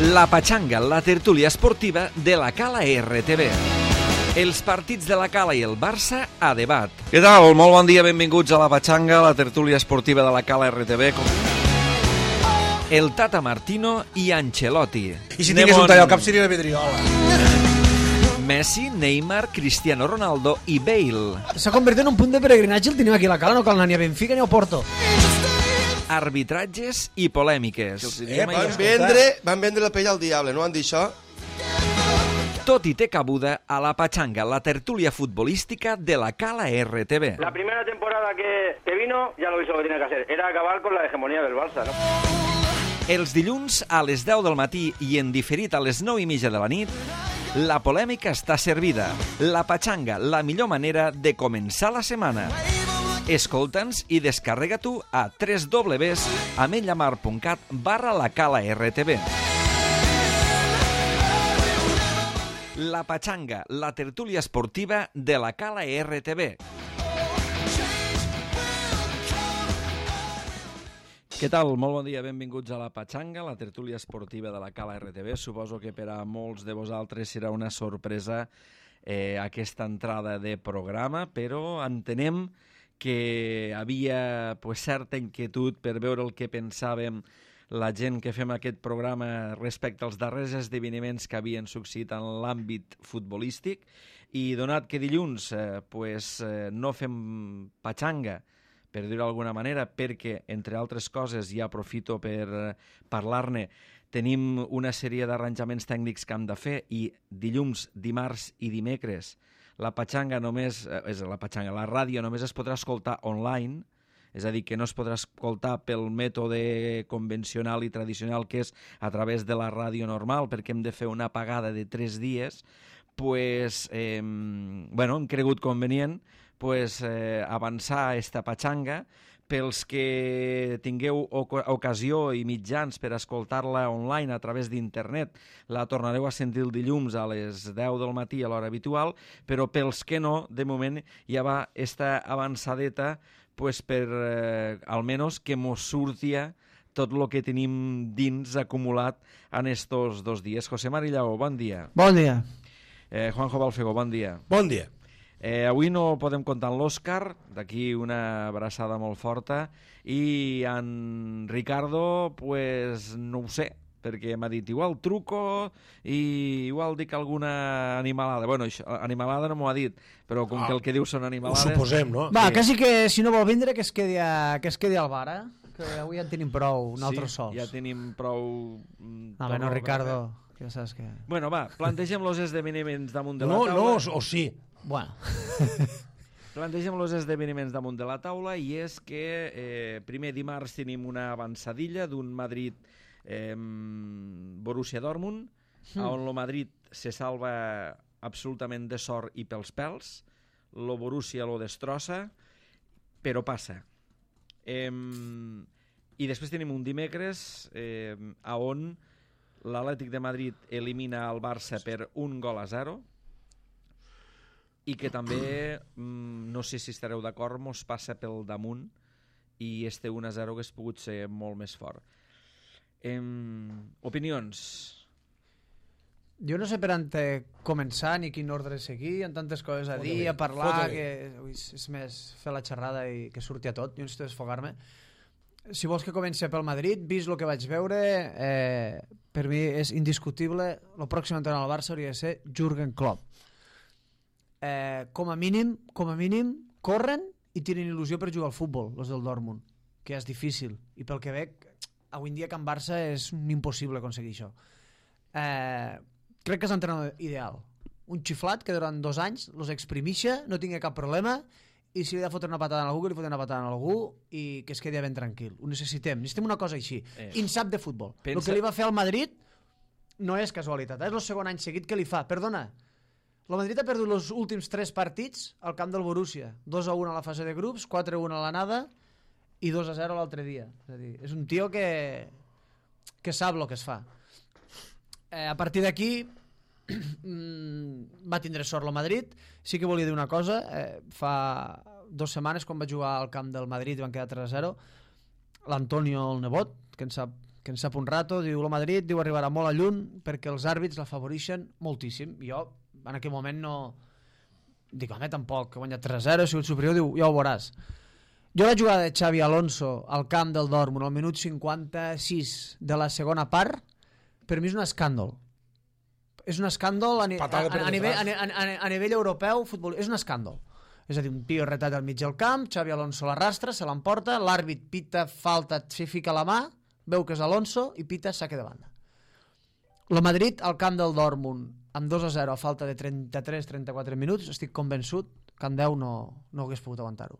La Patxanga, la tertúlia esportiva de la Cala RTV. Els partits de la Cala i el Barça a debat. Què tal? Molt bon dia, benvinguts a La Patxanga, la tertúlia esportiva de la Cala RTV. El Tata Martino i Ancelotti. I si tingués un tall al cap seria la Pedriola. Messi, Neymar, Cristiano Ronaldo i Bale. S'ha convertit en un punt de peregrinatge, el tenim aquí a la Cala, no cal anar ni a Benfica ni a Porto. Arbitratges i polèmiques. Van vendre la pell al diable, no van dir això? Tot i té cabuda a La Patxanga, la tertúlia futbolística de la Cala RTV. La primera temporada que vino ya lo hizo lo que tenía que hacer, era acabar con la hegemonía del Barça, ¿no? Els dilluns a les 10 del matí i en diferit a les 9:30 de la nit, la polèmica està servida. La Patxanga, la millor manera de començar la setmana. Escolta'ns i descarrega-t'ho a www.ametlllamar.cat/lacala-rtv. La Patxanga, la tertúlia esportiva de la Cala RTV. Què tal? Molt bon dia, benvinguts a La Patxanga, la tertúlia esportiva de la Cala RTV. Suposo que per a molts de vosaltres serà una sorpresa aquesta entrada de programa, però entenem que havia certa inquietud per veure el que pensàvem la gent que fem aquest programa respecte als darrers esdeveniments que havien succeït en l'àmbit futbolístic, i donat que dilluns no fem patxanga, per dir-ho d'alguna manera, perquè, entre altres coses, ja aprofito per parlar-ne, tenim una sèrie d'arranjaments tècnics que hem de fer, i dilluns, dimarts i dimecres la Patxanga només, la ràdio només es podrà escoltar online, és a dir, que no es podrà escoltar pel mètode convencional i tradicional, que és a través de la ràdio normal, perquè hem de fer una apagada de 3 dies, hem cregut convenient avançar esta Patxanga. Pels que tingueu ocasió i mitjans per escoltar-la online a través d'internet, la tornareu a sentir el dilluns a les 10 del matí a l'hora habitual, però pels que no, de moment ja va esta avançadeta per almenys que mos surtia tot el que tenim dins acumulat en estos 2 dies. José Marillau, bon dia. Bon dia. Juanjo Balfego, bon dia. Bon dia. Avui no podem comptar amb l'Òscar, d'aquí una abraçada molt forta, i en Ricardo, no ho sé, perquè m'ha dit igual truco i igual dic alguna animalada. Bueno, animalada no m'ho ha dit, però com que el que diu són animalades... Ho suposem, no? Va, quasi que si no vol vindre que es quedi al bar, que avui ja en tenim prou, nosaltres sols. Sí, ja tenim prou... No, Ricardo, ja saps que... Bueno, va, plantegem els esdeveniments damunt de la taula. No, o sí. Bueno. Plantegem els esdeveniments damunt de la taula, i és que primer dimarts tenim una avançadilla d'un Madrid Borussia Dortmund, on el Madrid se salva absolutament de sort i pels pèls, el Borussia lo destrossa, però passa. I després tenim un dimecres on l'Atlètic de Madrid elimina el Barça per 1-0, i que també, no sé si estareu d'acord, mos passa pel damunt, i este 1-0 hagués pogut ser molt més fort. Opinions? Jo no sé per on començar ni quin ordre seguir, hi ha tantes coses a dir, a parlar, que és més fer la xerrada i que surti a tot. Jo necessito desfogar-me. Si vols que comenci pel Madrid, vist el que vaig veure, per mi és indiscutible, el pròxim entrenador al Barça hauria de ser Jürgen Klopp. Com a mínim corren i tenen il·lusió per jugar al futbol, els del Dortmund, que ja és difícil, i pel que veig avui en dia que en Barça és impossible aconseguir això. Crec que és l'entrenador ideal, un xiflat que durant 2 anys els exprimixa, no tingui cap problema, i si li ha de fotre una patada a algú, que li fotre una patada a algú, i que es quedi ben tranquil. Ho necessitem una cosa així, insap de futbol. El que li va fer al Madrid no és casualitat, és el segon any seguit que li fa. Perdona, el Madrid ha perdut els últims 3 partits al camp del Borussia. 2-1 a la fase de grups, 4-1 a l'anada i 2-0 l'altre dia. És a dir, és un tio que sap el que es fa. A partir d'aquí va tindre sort el Madrid. Sí que volia dir una cosa. Fa 2 setmanes, quan va jugar al camp del Madrid i van quedar 3-0, l'Antonio, el nebot, que en sap que en sap un rato, diu el Madrid, diu arribarà molt a lluny perquè els àrbits l'afavoreixen moltíssim. Jo en aquell moment no... Dic, home, tampoc, que ha guanyat 3-0, ha sigut superior, diu, ja ho veuràs. Jo la jugada de Xavi Alonso al camp del Dortmund al minut 56 de la segona part, per mi és un escàndol. És un escàndol a nivell europeu, futbol, és un escàndol. És a dir, un tio retat al mig del camp, Xavi Alonso l'arrastra, se l'emporta, l'àrbit pita falta, s'hi fica la mà, veu que és Alonso i pita saque de banda. El Madrid al camp del Dortmund amb 2-0 a falta de 33-34 minuts, estic convençut que en 10 no hagués pogut aguantar-ho.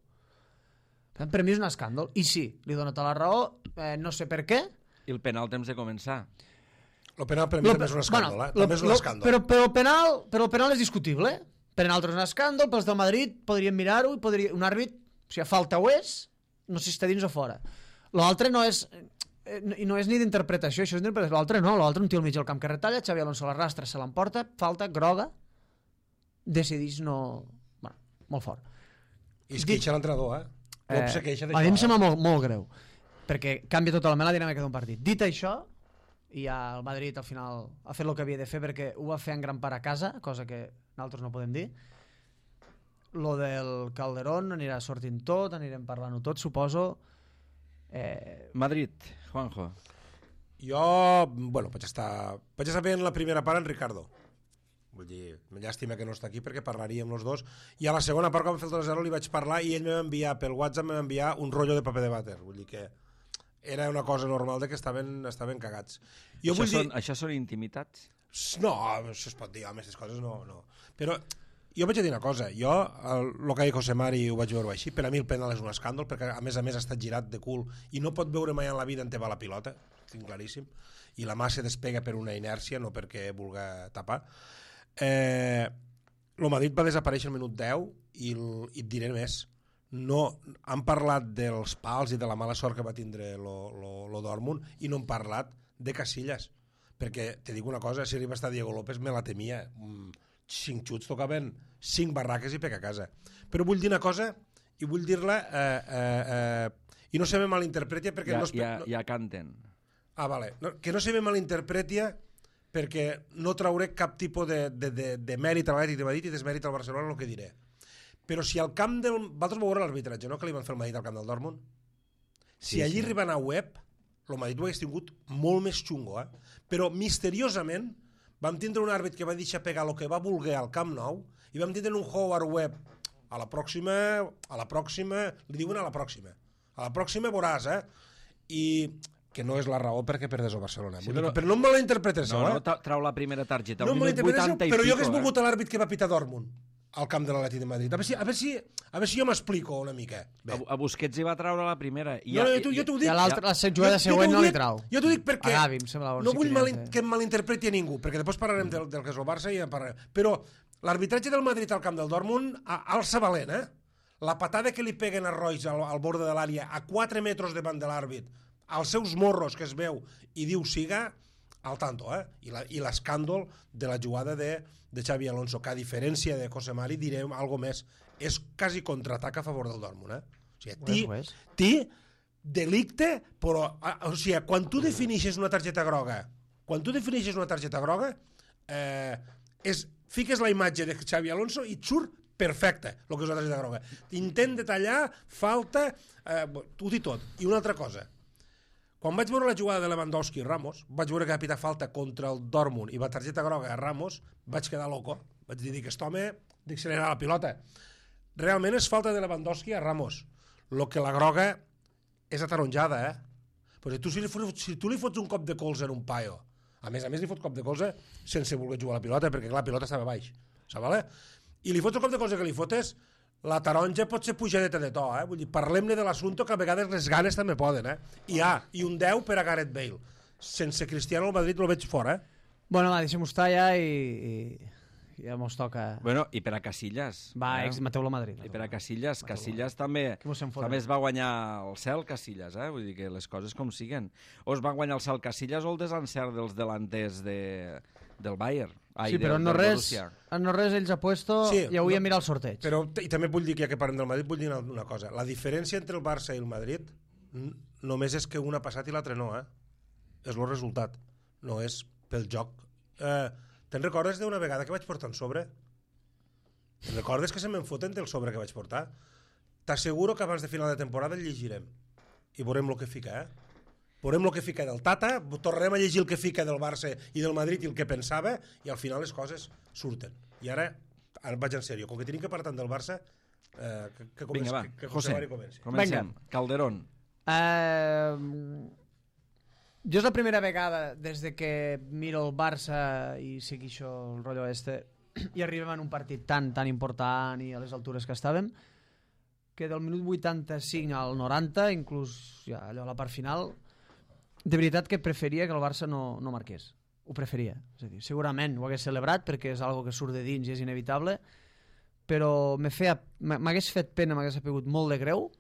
Per mi és un escàndol. I sí, li dono tota la raó, no sé per què. I el penal temps de començar. El penal per mi també és un escàndol, també és un escàndol. Però el penal és discutible. Per nosaltres és un escàndol, pels del Madrid podrien mirar-ho i un àrbit, si a falta ho és, no sé si està dins o fora. L'altre no és ni d'interpretació, això és d'interpretació. L'altre no, l'altre un tio al mig del camp que retalla, Xavi Alonso l'arrastra, se l'emporta, falta, groga, decidís no... Bueno, molt fort. I es queixa l'entrenador, Klopp se queixa d'això. A mi em sembla molt greu, perquè canvia totalment la dinàmica d'un partit. Dit això, i ja el Madrid al final ha fet el que havia de fer perquè ho va fer en gran part a casa, cosa que nosaltres no podem dir. Lo del Calderón anirà sortint tot, anirem parlant-ho tot, suposo. Madrid, Juanjo. Jo, bueno, vaig estar veient la primera part en Ricardo. Vull dir, llàstima que no està aquí perquè parlaríem els dos. I a la segona part, quan vam fer el 2-0, li vaig parlar i ell m'enviar pel WhatsApp un rotllo de paper de vàter. Vull dir que era una cosa normal de que estaven cagats. Això són intimitats? No, això es pot dir, home, aquestes coses no. Però jo vaig dir una cosa, jo, el que ha dit José Mari ho vaig veure així, per a mi el penal és un escàndol, perquè a més ha estat girat de cul i no pot veure mai en la vida on te va la pilota, tinc claríssim, i la mà se despega per una inèrcia, no perquè vulga tapar. El Madrid va desaparèixer al minut 10 i et diré més. No, han parlat dels pals i de la mala sort que va tindre lo Dortmund i no han parlat de Casillas, perquè te dic una cosa, si arriba a estar Diego López me la temia. 5 xuts tocaven 5 barraques i pega a casa. Però vull dir una cosa i vull dir-la i no se me malinterpreti perquè ja canten. Vale. Que no se me malinterpreti perquè no trauré cap tipus de mèrit a l'Atlètic de Madrid i desmèrit al Barcelona el que diré. Però si al camp del... Vosaltres vau veure l'arbitratge, no?, que li van fer el Madrid al camp del Dortmund. Si allí arriben a web, el Madrid ho hagués tingut molt més xungo, Però misteriosament vam tindre un àrbit que va deixar pegar el que va voler al Camp Nou i vam tindre un Howard Webb a la pròxima, li diuen a la pròxima veuràs, i que no és la raó perquè perdés el Barcelona. Sí, però no em malinterpretes, no trau la primera targeta, no minut 80 i pico. Però jo hagués volgut l'àrbit que va pitar Dortmund al camp de l'Atlètic de Madrid. A veure si jo m'explico una mica. A Busquets hi va traure la primera. Jo t'ho dic. I a la jugada següent no li trau. Jo t'ho dic perquè no vull que em malinterpreti a ningú, perquè després parlarem del que és el Barça i en parlarem. Però l'arbitratge del Madrid al camp del Dortmund alça valent, La patada que li peguen a Royce al borde de l'àrea a 4 metres davant de l'àrbit, als seus morros que es veu i diu siga, al tanto, i l'escàndol de la jugada de Xavi Alonso, que a diferència de José Mari direm algo més, és quasi contraatac a favor del Dortmund, O sigui, delicte, però o sigui, quan tu defineixes una targeta groga, fiques la imatge de Xavi Alonso i et surt perfecte el que és una targeta groga. Intent de tallar, falta, ho dic tot. I una altra cosa, quan vaig veure la jugada de Lewandowski i Ramos, vaig veure que va pitar falta contra el Dortmund i va targeta groga a Ramos, vaig quedar loco. Vaig dir que aquest home d'accelerar la pilota. Realment és falta de Lewandowski a Ramos. Lo que la groga és ataronjada, Però si tu li fots un cop de colze en un paio, a més li fots cop de colze sense voler jugar a la pilota, perquè la pilota estava baix, i li fots un cop de colze que li fotes, la taronja pot ser pujadeta de to, Vull dir, parlem-ne de l'assumpte, que a vegades les ganes també poden, I un 10 per a Gareth Bale. Sense Cristiano al Madrid el veig fora, Bueno, va, deixem-ho estar ja i ja mos toca... Bueno, i per a Casillas. Va, mateu-lo a Madrid. I per a Casillas també es va guanyar el cel Casillas, Vull dir que les coses com siguen. O es va guanyar el cel Casillas o el desencert dels delanters del Bayern. Sí, però en no res ells ha puesto i avui a mirar el sorteig. Però, i també vull dir que ja que parlem del Madrid, vull dir una cosa. La diferència entre el Barça i el Madrid només és que un ha passat i l'altre no, és el resultat, no és pel joc. Te'n recordes d'una vegada que vaig portar un sobre? Te'n recordes que se me'n foten del sobre que vaig portar? T'asseguro que abans de final de temporada el llegirem i veurem el que fica, veurem el que fica del Tata, tornarem a llegir el que fica del Barça i del Madrid i el que pensava, i al final les coses surten. I ara vaig en sèrio, com que tenim que parlar tant del Barça, que vinga, va, que José, comenci. comencem. Calderón. Jo és la primera vegada des de que miro el Barça i segueixo el rotllo i arribem en un partit tan important i a les altures que estàvem, que del minut 85 al 90, inclús ja allò a la part final, de veritat que preferia que el Barça no marqués. Ho preferia. És a dir, segurament ho hagués celebrat perquè és algo que surt de dins i és inevitable, però m'hagués fet pena, m'hagués apegut molt de greu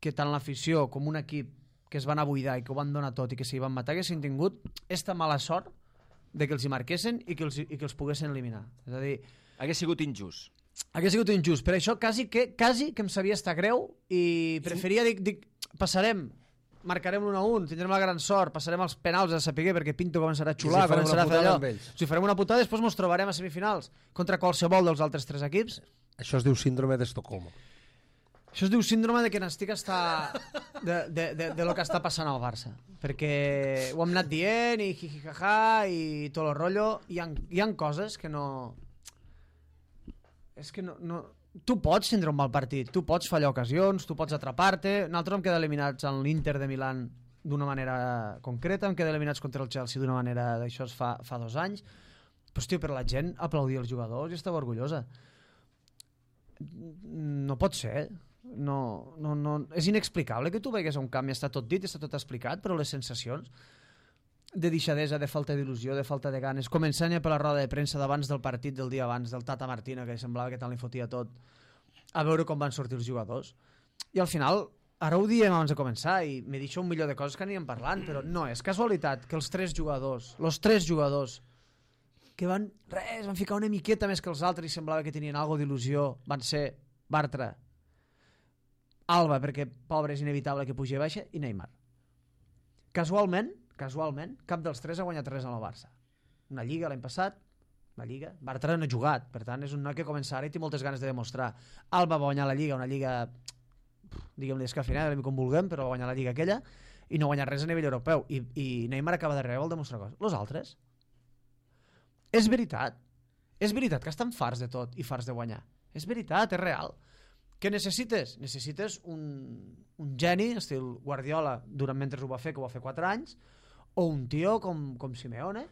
que tant l'afició com un equip que es van a buidar i que ho van donar tot i que s'hi van matar haguessin tingut esta mala sort de que els hi marquessin i que els poguessin eliminar. És a dir, hagués sigut injust. Hagués sigut injust. Per això quasi que em sabia estar greu i preferia dir passarem, marcarem l'1-1, tindrem la gran sort, passarem els penals a saber perquè Pinto començarà a xular, començarà a fer allò. Si farem una putada, després ens trobarem a semifinals contra qualsevol dels altres 3 equips. Això es diu síndrome d'Estocolmo. Això es diu síndrome de que n'estic de lo que està passant al Barça, perquè ho hem anat dient i jijijaja i tot el rotllo, hi ha coses que no... És que no... Tu pots tindre un mal partit, tu pots fallar ocasions, tu pots atrapar-te. Nosaltres hem quedat eliminats en l'Inter de Milán d'una manera concreta, hem quedat eliminats contra el Chelsea d'una manera, d'això fa 2 anys, però hòstia, per la gent aplaudir els jugadors i estava orgullosa. No pot ser. No, és inexplicable que tu vegues a un camp i està tot dit, està tot explicat, però les sensacions de deixadesa, de falta d'il·lusió, de falta de ganes, començant ja per la roda de premsa d'abans del partit, del dia abans, del Tata Martino, que semblava que tant li fotia tot, a veure com van sortir els jugadors. I al final, ara ho diem abans de començar, i me deixo un milió de coses que anirem parlant, però no és casualitat que els 3 jugadors que van ficar una miqueta més que els altres i semblava que tenien alguna d'il·lusió, van ser Bartra, Alba, perquè pobre és inevitable que pugi a baixa, i Neymar. Casualment, cap dels 3 ha guanyat res en el Barça. Una lliga l'any passat, una lliga. Bartra no ha jugat, per tant és un noi que comença ara i té moltes ganes de demostrar. Alba va guanyar la lliga, una lliga, diguem-li escafinada, com vulguem, però va guanyar la lliga aquella, i no ha guanyat res a nivell europeu. I Neymar acaba de rebre, vol demostrar coses. Los altres? És veritat que estan farts de tot i farts de guanyar. És veritat, és real. Què necessites? Necessites un geni, estil Guardiola, mentre ho va fer, que ho va fer 4 anys, o un tio com Simeone.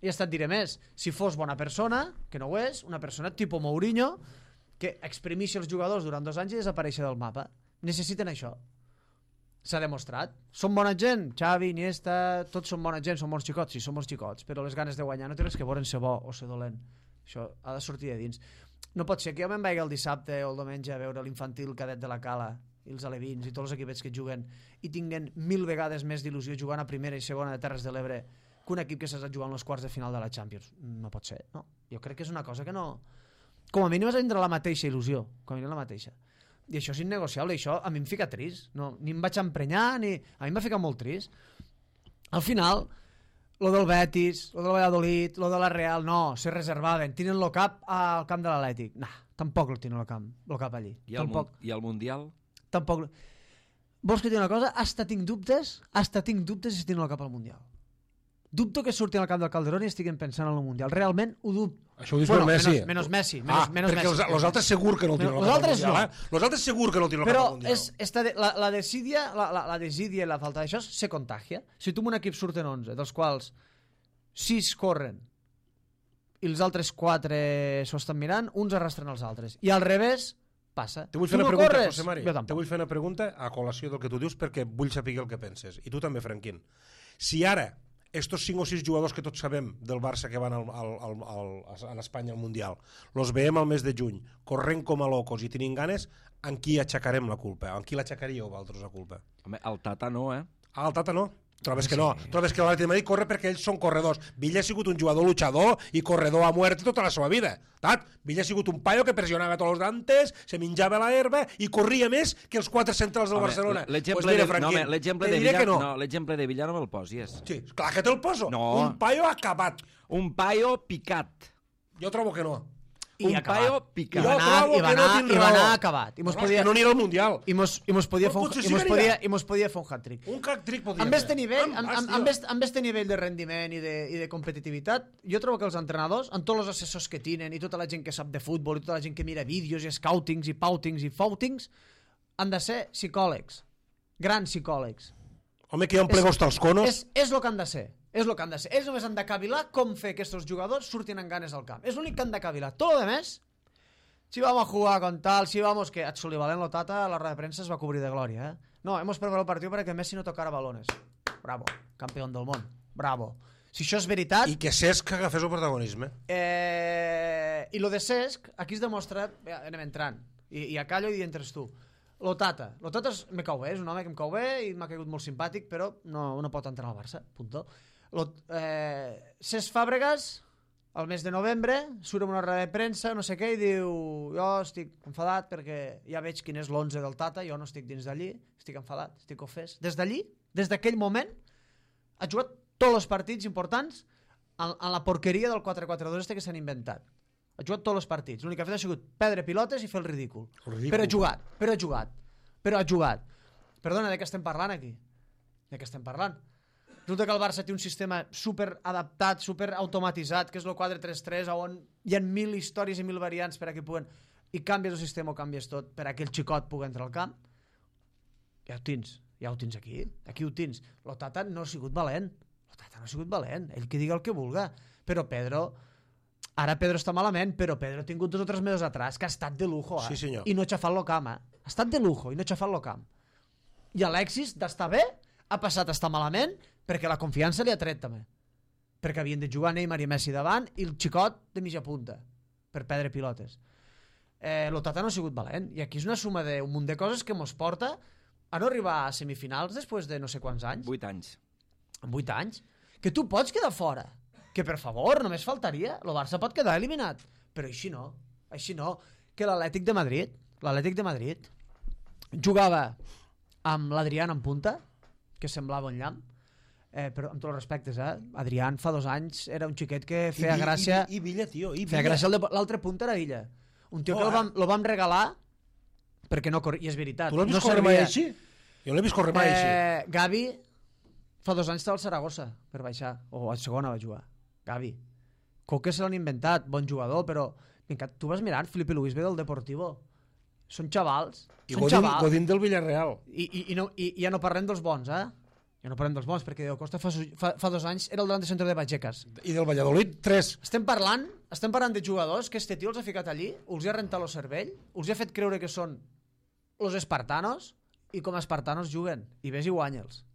I et diré més, si fos bona persona, que no ho és, una persona tipus Mourinho, que exprimixi els jugadors durant 2 anys i desapareixi del mapa. Necessiten això. S'ha demostrat. Són bona gent? Xavi, Iniesta, tots són bona gent, són bons xicots? Sí, són bons xicots, però les ganes de guanyar no té res que veure en ser bo o ser dolent. Això ha de sortir de dins. No pot ser que jo me'n vagi el dissabte o el diumenge a veure l'infantil cadet de la Cala i els alevins i tots els equipets que juguen i tinguen 1000 vegades més d'il·lusió jugant a primera i segona de Terres de l'Ebre que un equip que s'ha jugat en els quarts de final de la Champions. No pot ser, no? Jo crec que és una cosa que no... Com a mínim has de tindre la mateixa il·lusió, com a mínim la mateixa. I això és innegociable, i això a mi em fica trist. No, ni em vaig emprenyar, ni... A mi em va ficar molt trist. Al final, lo del Betis, lo del Valladolid, lo de la Real, no, se reservaven. Tenen el cap al camp de l'Atlètic. Nah, tampoc el tenen el cap allí. I el Mundial? Tampoc. Vols que digui una cosa? Hasta tinc dubtes si tenen el cap al Mundial. Dubto que surtin al camp del Calderón i estiguin pensant en el Mundial. Realment ho dubto. Això ho dius per Messi. Menys Messi. Perquè els altres segur que no el tenen al cap al Mundial. Els altres segur que no el tenen al cap al Mundial. Però la desídia i la falta d'això se contagia. Si tu en un equip surten 11, dels quals 6 corren i els altres 4 s'ho estan mirant, uns arrastren els altres. I al revés passa. Te vull fer una pregunta, José Mari. Te vull fer una pregunta a col·lació del que tu dius perquè vull saber el que penses. I tu també, Franquín. Si ara estos 5 o 6 jugadors que tots sabem del Barça que van a Espanya al Mundial, los veiem al mes de juny, corrent com a locos i tenint ganes, en qui aixecarem la culpa? En qui l'aixecaríeu vosaltres la culpa? Home, el Tata no, Ah, el Tata no? Trobes que no, trobes que l'Atlètic de Madrid corre perquè ells són corredors. Villa ha sigut un jugador luchador i corredor a muerte tota la seva vida. Villa ha sigut un paio que pressionava tots els dantes, se menjava la herba i corria més que els 4 centrals del Barcelona. L'exemple de Villa no me'l posis. Sí, clar que te'l poso. No. Un paio acabat. Un paio picat. Jo trobo que no. Un paio picat. I va anar acabat. No, és que no anirà al Mundial. I mos podia fer un hat-trick. Un hat-trick podia fer. Amb este nivell de rendiment i de competitivitat, jo trobo que els entrenadors, amb tots els assessors que tenen i tota la gent que sap de futbol i tota la gent que mira vídeos i scoutings i poutings i foutings, han de ser psicòlegs. Grans psicòlegs. Home, que hi ha un plegos tals conos. És el que han de ser. És el que han de ser. Ells només han de cavilar com fer que aquests jugadors surtin amb ganes al camp. És l'únic que han de cavilar. Tot el demés, si vamos a jugar con tal, si vamos... Que Sullivan Lotata a la roda de premsa es va cobrir de glòria, No, hemos perdido el partido para que Messi no tocara balones. Bravo, campeón del món. Bravo. Si això és veritat... I que Cesc agafés el protagonisme. I lo de Cesc, aquí es demostra... Anem entrant. I a callo i entres tu. Lotata me cau bé, és un home que em cau bé i m'ha caigut molt simpàtic, però no pot entrar al Barça, punto. Cesc Fàbregas, al mes de novembre, surt en una roda de premsa, no sé què, i diu: jo estic enfadat perquè ja veig quin és l'11 del Tata, jo no estic dins d'allí, estic enfadat, estic ofès. Des d'allí, des d'aquell moment, ha jugat tots els partits importants en la porqueria del 4-4-2 que s'han inventat. Ha jugat tots els partits. L'únic que ha fet ha sigut perdre pilotes i fer el ridícul. Però ha jugat. Perdona, de què estem parlant aquí? De què estem parlant? Resulta que el Barça té un sistema super adaptat, super automatitzat, que és el 4-3-3, on hi ha 1.000 històries i 1.000 variants per a que puguen... I canvies el sistema o canvies tot per a que el xicot pugui entrar al camp. Ja ho tens aquí. Aquí ho tens. L'Otata no ha sigut valent. Ell que digui el que vulga. Però Pedro... Ara Pedro està malament, però Pedro ha tingut 2 o 3 mesos atrás que ha estat de lujo, Sí, senyor. I no ha xafat lo camp, Ha estat de lujo i no ha xafat lo camp. I Alexis, d'estar bé, ha passat a estar malament perquè la confiança li ha tret també. Perquè havien de jugar Neymar i Messi davant i el xicot de mitja punta per perdre pilotes. L'Otata no ha sigut valent. I aquí és una suma d'un munt de coses que mos porta a no arribar a semifinals després de no sé quants anys. 8 anys. En 8 anys. Que tu pots quedar fora. Que per favor, només faltaria. El Barça pot quedar eliminat. Però així no. Que l'Atlètic de Madrid jugava amb l'Adrián en punta, que semblava un llamp, però amb tots els respectes, Adrián fa 2 anys era un xiquet que feia gràcia... I Villa, tio, i Villa. Feia gràcia l'altre punta era Illa. Un tio que lo vam regalar perquè no corria, i és veritat. Tu l'has vist córrer mai així? Jo l'he vist córrer mai així. Gavi fa 2 anys estava al Saragossa per baixar, o a segona va jugar. Gavi. Coque se l'han inventat, bon jugador, però tu vas mirant, Felipe Luis ve del Deportivo. Són xavals. I Godín del Villarreal. I ja no parlem dels bons, Ja no parlem dels bons, perquè Diego Costa fa 2 anys era el davant de centre de Vallecas. I del Valladolid, 3. Estem parlant de jugadors que este tio els ha ficat allí, els ha rentat el cervell, els ha fet creure que són los espartanos, i com a espartanos juguen. I ves i guanya'ls.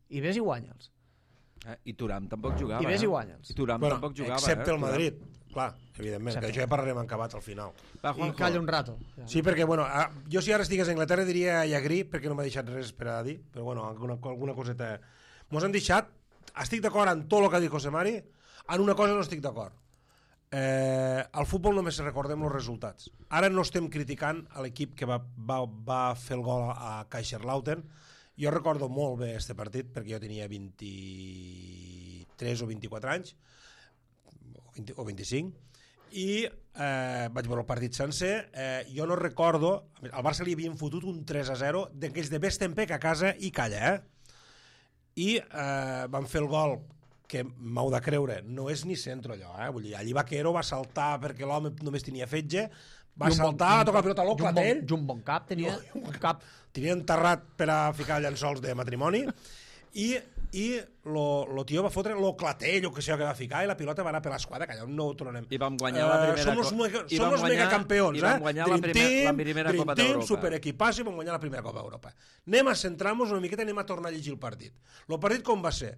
I Thuram tampoc jugava. I ves i guanya'ls. I Thuram tampoc jugava. Excepte el Madrid. Clar, evidentment, que això ja parlarem en acabat al final. I calla un rato. Sí, perquè, jo si ara estigués a Anglaterra diria Llagrí, perquè no m'ha deixat res per a dir, però alguna coseta... Mos han deixat, estic d'acord en tot el que ha dit José Mari, en una cosa no estic d'acord. Al futbol només recordem els resultats. Ara no estem criticant a l'equip que va fer el gol a Kaiserslautern. Jo recordo molt bé este partit perquè jo tenia 23 o 24 anys o 25 i vaig veure el partit sencer. Jo no recordo, al Barça li havien fotut un 3-0 d'aquells de Bestempack a casa i calla, i van fer el gol que m'heu de creure, no és ni centro allò, vull dir, allí Vaquero va saltar perquè l'home només tenia fetge, va saltar, va tocar la pilota a l'Oclatell, un bon cap tenia, tenia enterrat per a ficar llençols de matrimoni, i lo tio va fotre l'Oclatell o que sé que va ficar, i la pilota va anar per l'esquadra, que allà no ho tornem. I vam guanyar la primera som els megacampeons, i vam guanyar la primera Copa d'Europa. Superequipàs, i vam guanyar la primera Copa d'Europa. Anem a centrar-nos una miqueta, anem a tornar a llegir el partit. El partit com va ser?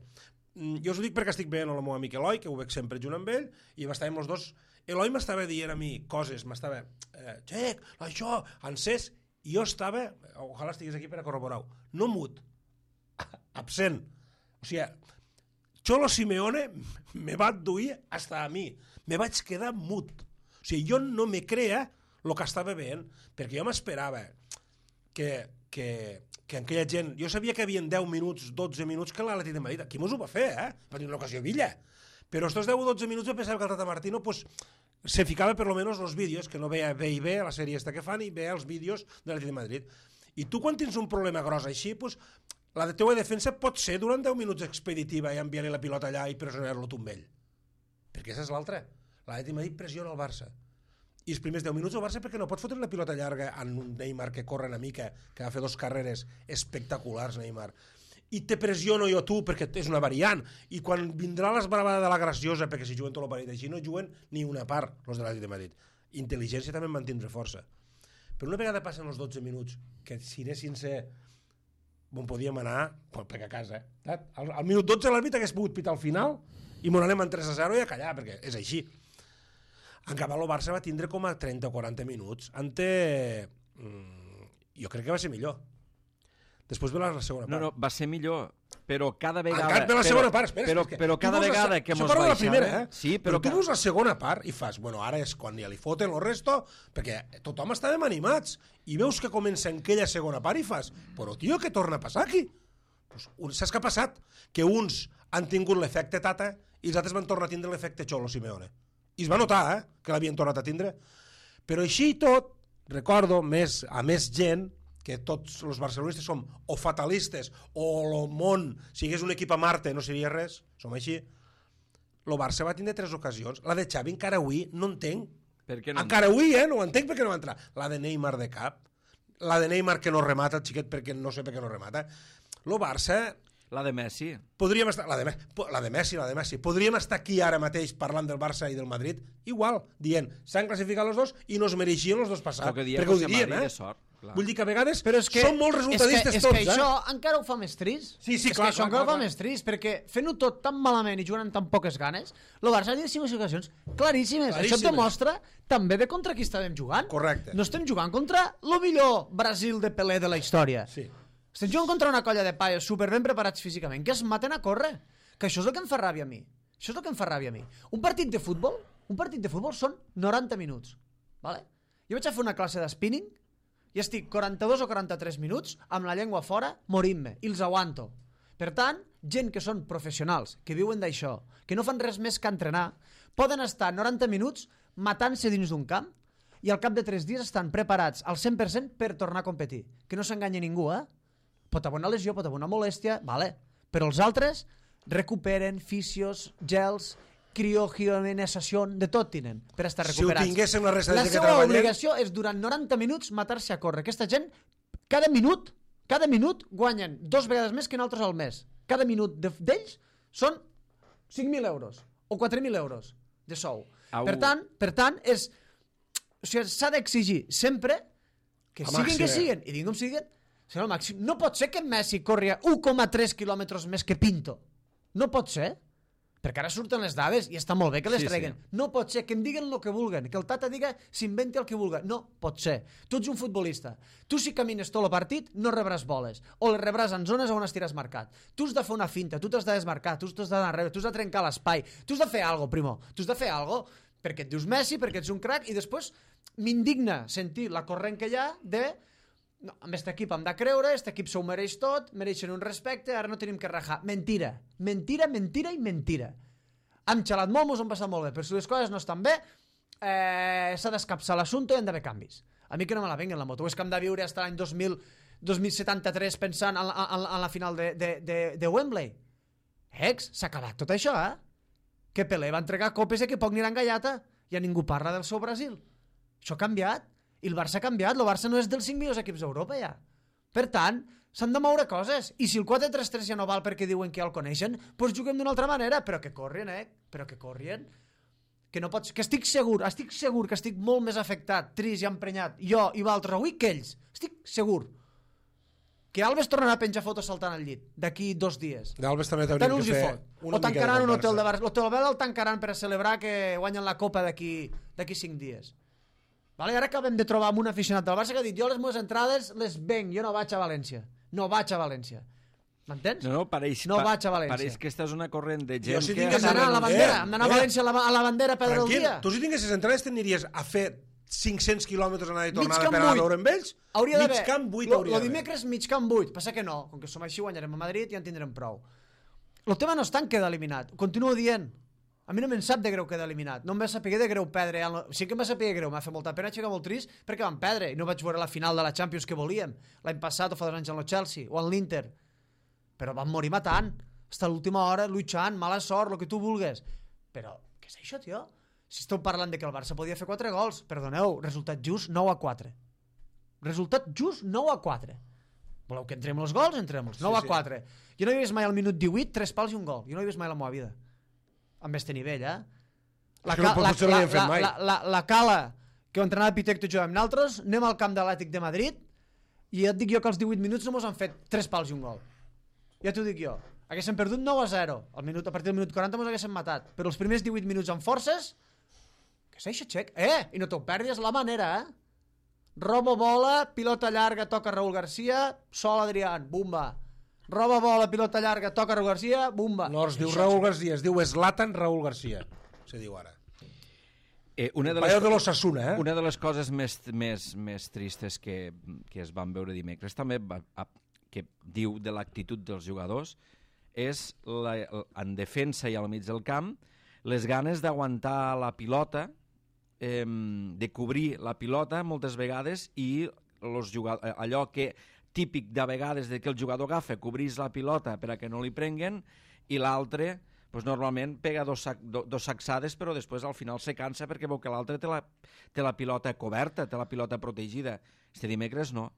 Jo us ho dic perquè estic veient el meu amic Eloi, que ho veig sempre junt amb ell, i estàvem els dos. Eloi m'estava dient a mi coses, m'estava... Xec, això, encès, i jo estava, ojalà estigués aquí per a corroborar-ho, no mut, absent. O sigui, Cholo Simeone me va adduir hasta a mi. Me vaig quedar mut. O sigui, jo no me crea el que estava veient, perquè jo m'esperava que aquella gent... Jo sabia que hi havia 10 minuts, 12 minuts que l'Atlètic de Madrid... Aquí mos ho va fer, Va tenir una ocasió Villa. Però estos 10 o 12 minuts jo pensava que el Tata Martino pues, se ficava per lo menos los vídeos, que no veia B&B, la sèrie esta que fan, i veia els vídeos de l'Atlètic de Madrid. I tu quan tens un problema gros així, pues, la teua defensa pot ser durant 10 minuts expeditiva i enviar-li la pilota allà i pressionar-lo tu amb ell. Perquè esa és l'altra. L'Atlètic de Madrid pressiona el Barça. I els primers 10 minuts el Barça perquè no pot fotre la pilota llarga en un Neymar que corre una mica, que va fer 2 carreres espectaculars, Neymar. I te pressiono jo tu perquè és una variant. I quan vindrà l'esbravada de la graciosa, perquè si juguen tot el partit així, no juguen ni una part, els de l'Atlètic de Madrid. Intel·ligència també en mantindre força. Però una vegada passen els 12 minuts, que si anessin ser... on podíem anar, perquè a casa. Al minut 12 l'àrbitre hagués pogut pitar al final i m'ho anem en 3-0 i a callar, perquè és així. En canvi, el Barça va tindre com a 30 o 40 minuts. Jo crec que va ser millor. Després ve la segona part. No, va ser millor, però cada vegada... Encara ve la segona part, espera. Però cada vegada que mos baixava... baixava... Primera, Sí, però tu veus la segona part i fas, bueno, ara és quan ja li foten el resto, perquè tothom estàvem animats, i veus que comença en aquella segona part i fas, però tio, què torna a passar aquí? Pues, saps què ha passat? Que uns han tingut l'efecte Tata i els altres van tornar a tindre l'efecte Cholo Simeone. I es va notar, que l'havien tornat a tindre. Però així i tot, recordo, a més gent, que tots els barcelonistes som o fatalistes o el món, si hagués un equip a Marte no seria res, som així. El Barça va tindre 3 ocasions. La de Xavi encara avui no entenc. Per què no? Encara avui, no ho entenc perquè no va entrar. La de Neymar de cap, la de Neymar que no remata, el xiquet perquè no sé per què no remata. El Barça... La de Messi. Podríem estar... La de Messi. Podríem estar aquí ara mateix parlant del Barça i del Madrid, igual, dient, s'han classificat els dos i no es mereixien els dos passar. Perquè ho dirien, Vull dir que a vegades són molt resultadistes tots. És que això encara ho fa més trist. Sí, clar. És que això encara ho fa més trist, perquè fent-ho tot tan malament i jugant amb tan poques ganes, el Barça ha tingut 5 ocasions claríssimes. Això et demostra també de contra qui estàvem jugant. Correcte. No estem jugant contra el millor Brasil de Pelé de la història. Sí. Estem jugant contra una colla de paios super ben preparats físicament, que es maten a córrer. Que això és el que em fa ràbia a mi. Un partit de futbol són 90 minuts. Vale? Jo vaig a fer una classe de spinning i estic 42 o 43 minuts amb la llengua fora morint-me, i els aguanto. Per tant, gent que són professionals, que viuen d'això, que no fan res més que entrenar, poden estar 90 minuts matant-se dins d'un camp i al cap de 3 dies estan preparats al 100% per tornar a competir. Que no s'enganyi ningú, Pot haver una lesió, pot haver una molèstia, vale. Però els altres recuperen fisios, gels, criogenizació, de tot tenen per estar recuperats. Si ho tinguéssim la resta de gent que treballem... La seva obligació és durant 90 minuts matar-se a córrer. Aquesta gent, cada minut guanyen 2 vegades més que nosaltres al mes. Cada minut d'ells són 5.000 euros o 4.000 euros de sou. Per tant, s'ha d'exigir sempre que siguin, i diguem com siguin, no pot ser que Messi corri 1,3 quilòmetres més que Pinto. No pot ser. Perquè ara surten les dades i està molt bé que les treguen. Sí. No pot ser que em diguen el que vulguen, que el Tata diga s'inventi el que vulgui. No pot ser. Tu ets un futbolista. Tu si camines tot el partit no rebràs boles. O les rebràs en zones on estiràs marcat. Tu has de fer una finta, tu t'has de desmarcar, tu t'has d'anar enrere, tu has de trencar l'espai. Tu has de fer alguna cosa, primo. Tu has de fer alguna cosa perquè et dius Messi, perquè ets un crac, i després m'indigna sentir la corrent que hi ha de... No, amb aquest equip hem de creure, aquest equip s'ho mereix tot, mereixen un respecte, ara no tenim que rajar. Mentira. Hem xalat molt, mos hem passat molt bé, però si les coses no estan bé, s'ha d'escapçar l'assumpte i han d'haver canvis. A mi que no me la venguen la moto. És que hem de viure fins l'any 2073 pensant en la final de Wembley. S'ha acabat tot això, Que Pelé va entregar copes i que poc aniran gallata. Ja ningú parla del seu Brasil. Això ha canviat. I el Barça ha canviat, el Barça no és dels 5 millors equips d'Europa ja. Per tant, s'han de moure coses. I si el 4-3-3 ja no val perquè diuen que ja el coneixen, doncs juguem d'una altra manera, però que corrien, però que corrien. Que no pots... Que estic segur que estic molt més afectat, trist i emprenyat, jo i vosaltres avui que ells. Estic segur. Que Alves tornarà a penjar fotos saltant al llit d'aquí 2 dies. D'Alves també t'hauríem que fer una mica de conversa. O tancaran un hotel de Barça. L'hotel Bel el tancaran per a celebrar que guanyen la Copa d'aquí 5 dies. Vale, ara acabem de trobar amb un aficionat del Barça que ha dit jo les meves entrades les venc, jo no vaig a València. M'entens? No, pareix, No vaig a València. Pareix que esta és una corrent de Jo gent si que... tingués Hem d'anar a la bandera, hem d'anar a València a la bandera a perdre el Tranquil, dia. tu si tinguessis entrades t'aniries a fer 500 quilòmetres anada i tornada Camp per anar a 8. veure amb ells? Hauria mig d'haver. camp 8 hauria Lo d'haver. dimecres mig camp 8. Passa que no, com que som així guanyarem a Madrid i ja en tindrem prou. El tema no és tant queda eliminat. Continuo dient. A mi no me'n sap de greu quedar eliminat. No em va saber de greu perdre. Sí que em va saber greu, m'ha fet molta pena, aixecar molt trist, perquè van perdre i no vaig veure la final de la Champions que volíem. L'any passat o fa 2 anys en el Chelsea o en l'Inter. Però van morir matant. Fins a l'última hora, luchant, mala sort, el que tu vulgues. Però, què és això, tio? Si esteu parlant de que el Barça podia fer 4 gols, perdoneu, resultat just 9-4. Resultat just 9-4. Voleu que entrem els gols? Entrem-los. 9-4. Jo no he vist mai al minut 18 3 pals i un gol. Jo no he vist mai la meva vida. Amb este nivell, eh? Potser no l'havien fet mai. La Cala, que ho entrenava Pitecto i jugàvem nosaltres, anem al camp de l'Àtic de Madrid i ja et dic jo que als 18 minuts no mos han fet 3 pals i un gol. Ja t'ho dic jo. Haguéssim perdut 9-0. A partir del minut 40 mos haguéssim matat. Però els primers 18 minuts amb forces... Què és això, Xec? I no t'ho perdis la manera, Robo bola, pilota llarga, toca Raúl García, sol Adrián, bumba. Roba bola, pilota llarga, toca Raúl García, bumba. No es diu Raúl García, es diu Zlatan Raúl García. Se diu ara. Una de l'Osasuna, Una de les coses més tristes que es van veure dimecres també, que diu de l'actitud dels jugadors, és en defensa i al mig del camp les ganes d'aguantar la pilota, de cobrir la pilota moltes vegades i allò que típic de vegades de que el jugador agafa, cobrís la pilota per a que no li prenguen i l'altre pues normalment pega dos sacsades però després al final se cansa perquè veu que l'altre té la pilota coberta, té la pilota protegida. Este dimecres no.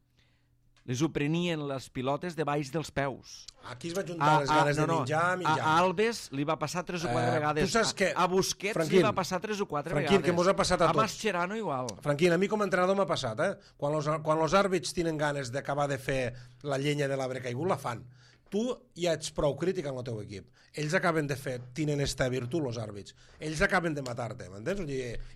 Les ho prenien les pilotes de baix dels peus. Aquí es va juntar les ganes de menjar. A Alves li va passar 3 o 4 vegades. Tu saps que... A Busquets Franquín, li va passar 3 o 4 vegades. Que mos ha passat a tots. A Mascherano igual. Franquín, a mi com a entrenador m'ha passat, Quan els àrbits tenen ganes d'acabar de fer la llenya de l'arbre caigut, la fan. Tu ja ets prou crític amb el teu equip. Ells acaben de fer, tenen esta virtut, els àrbits. Ells acaben de matar-te, m'entens?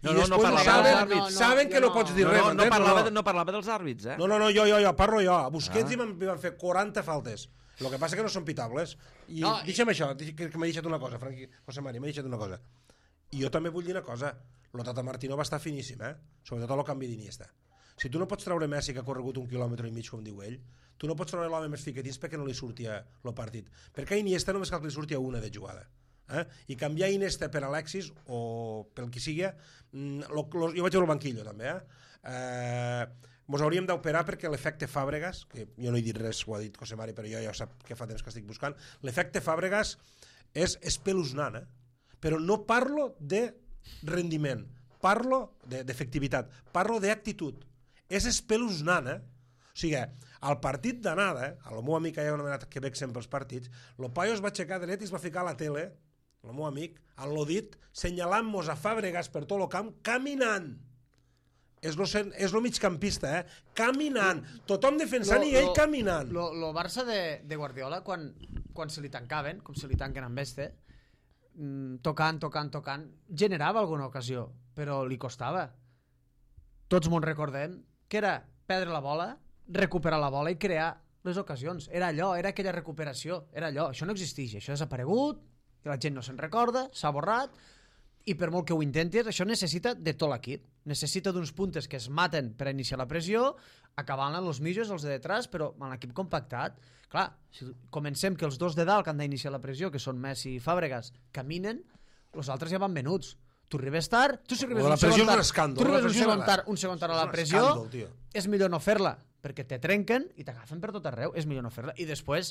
No parlava dels àrbits. Saben que no pots dir res, m'entens? No parlava dels àrbits, No, jo parlo jo. A Busquets hi van fer 40 faltes. El que passa que no són pitables. I deixa'm això, que m'ha deixat una cosa, José Mari, m'ha deixat una cosa. I jo també vull dir una cosa. El Tata Martino va estar finíssim, Sobretot el canvi d'Iniesta. Si tu no pots treure Messi, que ha corregut 1,5 quilòmetres, com diu ell, tu no pots treure l'home més fiquetins perquè no li sortia el partit. Perquè a Iniesta només cal que li sortia una de jugada. I canviar Iniesta per Alexis o pel que sigui, jo vaig veure el banquillo també, mos hauríem d'operar perquè l'efecte Fàbregas, que jo no he dit res, ho ha dit José Mari, però jo ja sap que fa temps que estic buscant, l'efecte Fàbregas és espeluznant, però no parlo de rendiment, parlo d'efectivitat, parlo d'actitud. És espeluznant, O sigui, al partit d'anada, el meu amic que hi ha anomenat que veig sempre els partits, el paio es va aixecar dret i es va ficar a la tele, el meu amic, al lodit, senyalant-nos a Fàbregas per tot el camp, caminant. És lo migcampista, caminant. Tothom defensant i ell caminant. Lo Barça de Guardiola, quan se li tancaven, com se li tanquen amb este, tocant, generava alguna ocasió, però li costava. Tots m'ho recordem, que era perdre la bola, recuperar la bola i crear les ocasions. Era allò, era aquella recuperació, era allò. Això no existeix, això ha desaparegut, la gent no se'n recorda, s'ha borrat, i per molt que ho intentis, això necessita de tot l'equip. Necessita d'uns puntes que es maten per iniciar la pressió, acabant amb els mitjos, els de detrás, però amb l'equip compactat. Clar, si comencem que els dos de dalt que han d'iniciar la pressió, que són Messi i Fàbregas, caminen, els altres ja van venuts. Tu arribes tard, tu si arribes un segon tard a la pressió, és millor no fer-la, perquè te trenquen i t'agafen per tot arreu, és millor no fer-la. I després,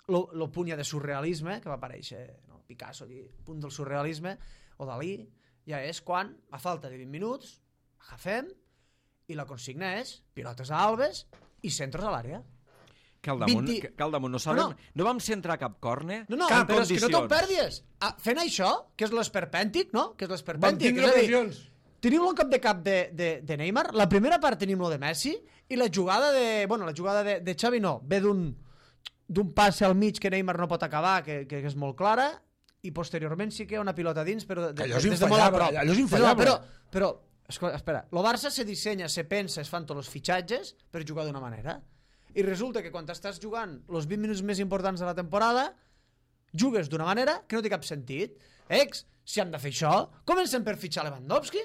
el punt ja de surrealisme, que va aparèixer Picasso, el punt del surrealisme, o Dalí, ja és quan, a falta de 20 minuts, agafem, i la consigna és pilotes a Alves i centros a l'àrea. Que al damunt no vam centrar cap córner, cap però condicions. És que no te'n perdis. Fent això, que és l'esperpèntic, no? Que és l'esperpèntic. Vam tindre ocasions. Tenim un cap de Neymar, la primera part tenim lo de Messi, i la jugada de Xavi no, ve d'un passe al mig que Neymar no pot acabar, que és molt clara, i posteriorment sí que hi ha una pilota dins, però allò és infallable. Però, espera, el Barça se dissenya, se pensa, es fan tots els fitxatges per jugar d'una manera. I resulta que quan estàs jugant els 20 minuts més importants de la temporada, jugues d'una manera que no té cap sentit. Si hem de fer això, comencem per fitxar Lewandowski.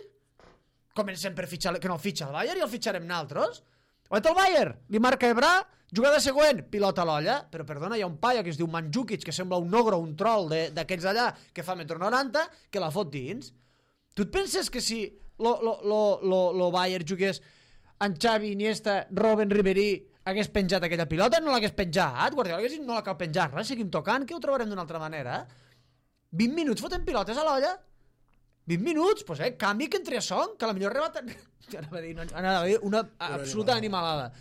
Comencem per fitxar... Que no fitxa el Bayern i el fitxarem nosaltres. O el Bayern, li marca Ebra, jugada següent, pilota a l'olla, però perdona, hi ha un paio que es diu Mandzukic, que sembla un ogro, un troll d'aquests allà, que fa 1,90 m, que la fot dins. Tu et penses que si lo Bayern jugués en Xavi, Iniesta, Robben, Ribéry, hagués penjat aquella pilota? No l'hagués penjat, Guardiola hagués dit no la cal penjar, res, seguim tocant, que ho trobarem d'una altra manera. 20 minuts fotent pilotes a l'olla. 20 minuts, doncs canvi que entri a Son, que a la millor rebat... Anava a dir una absoluta animalada.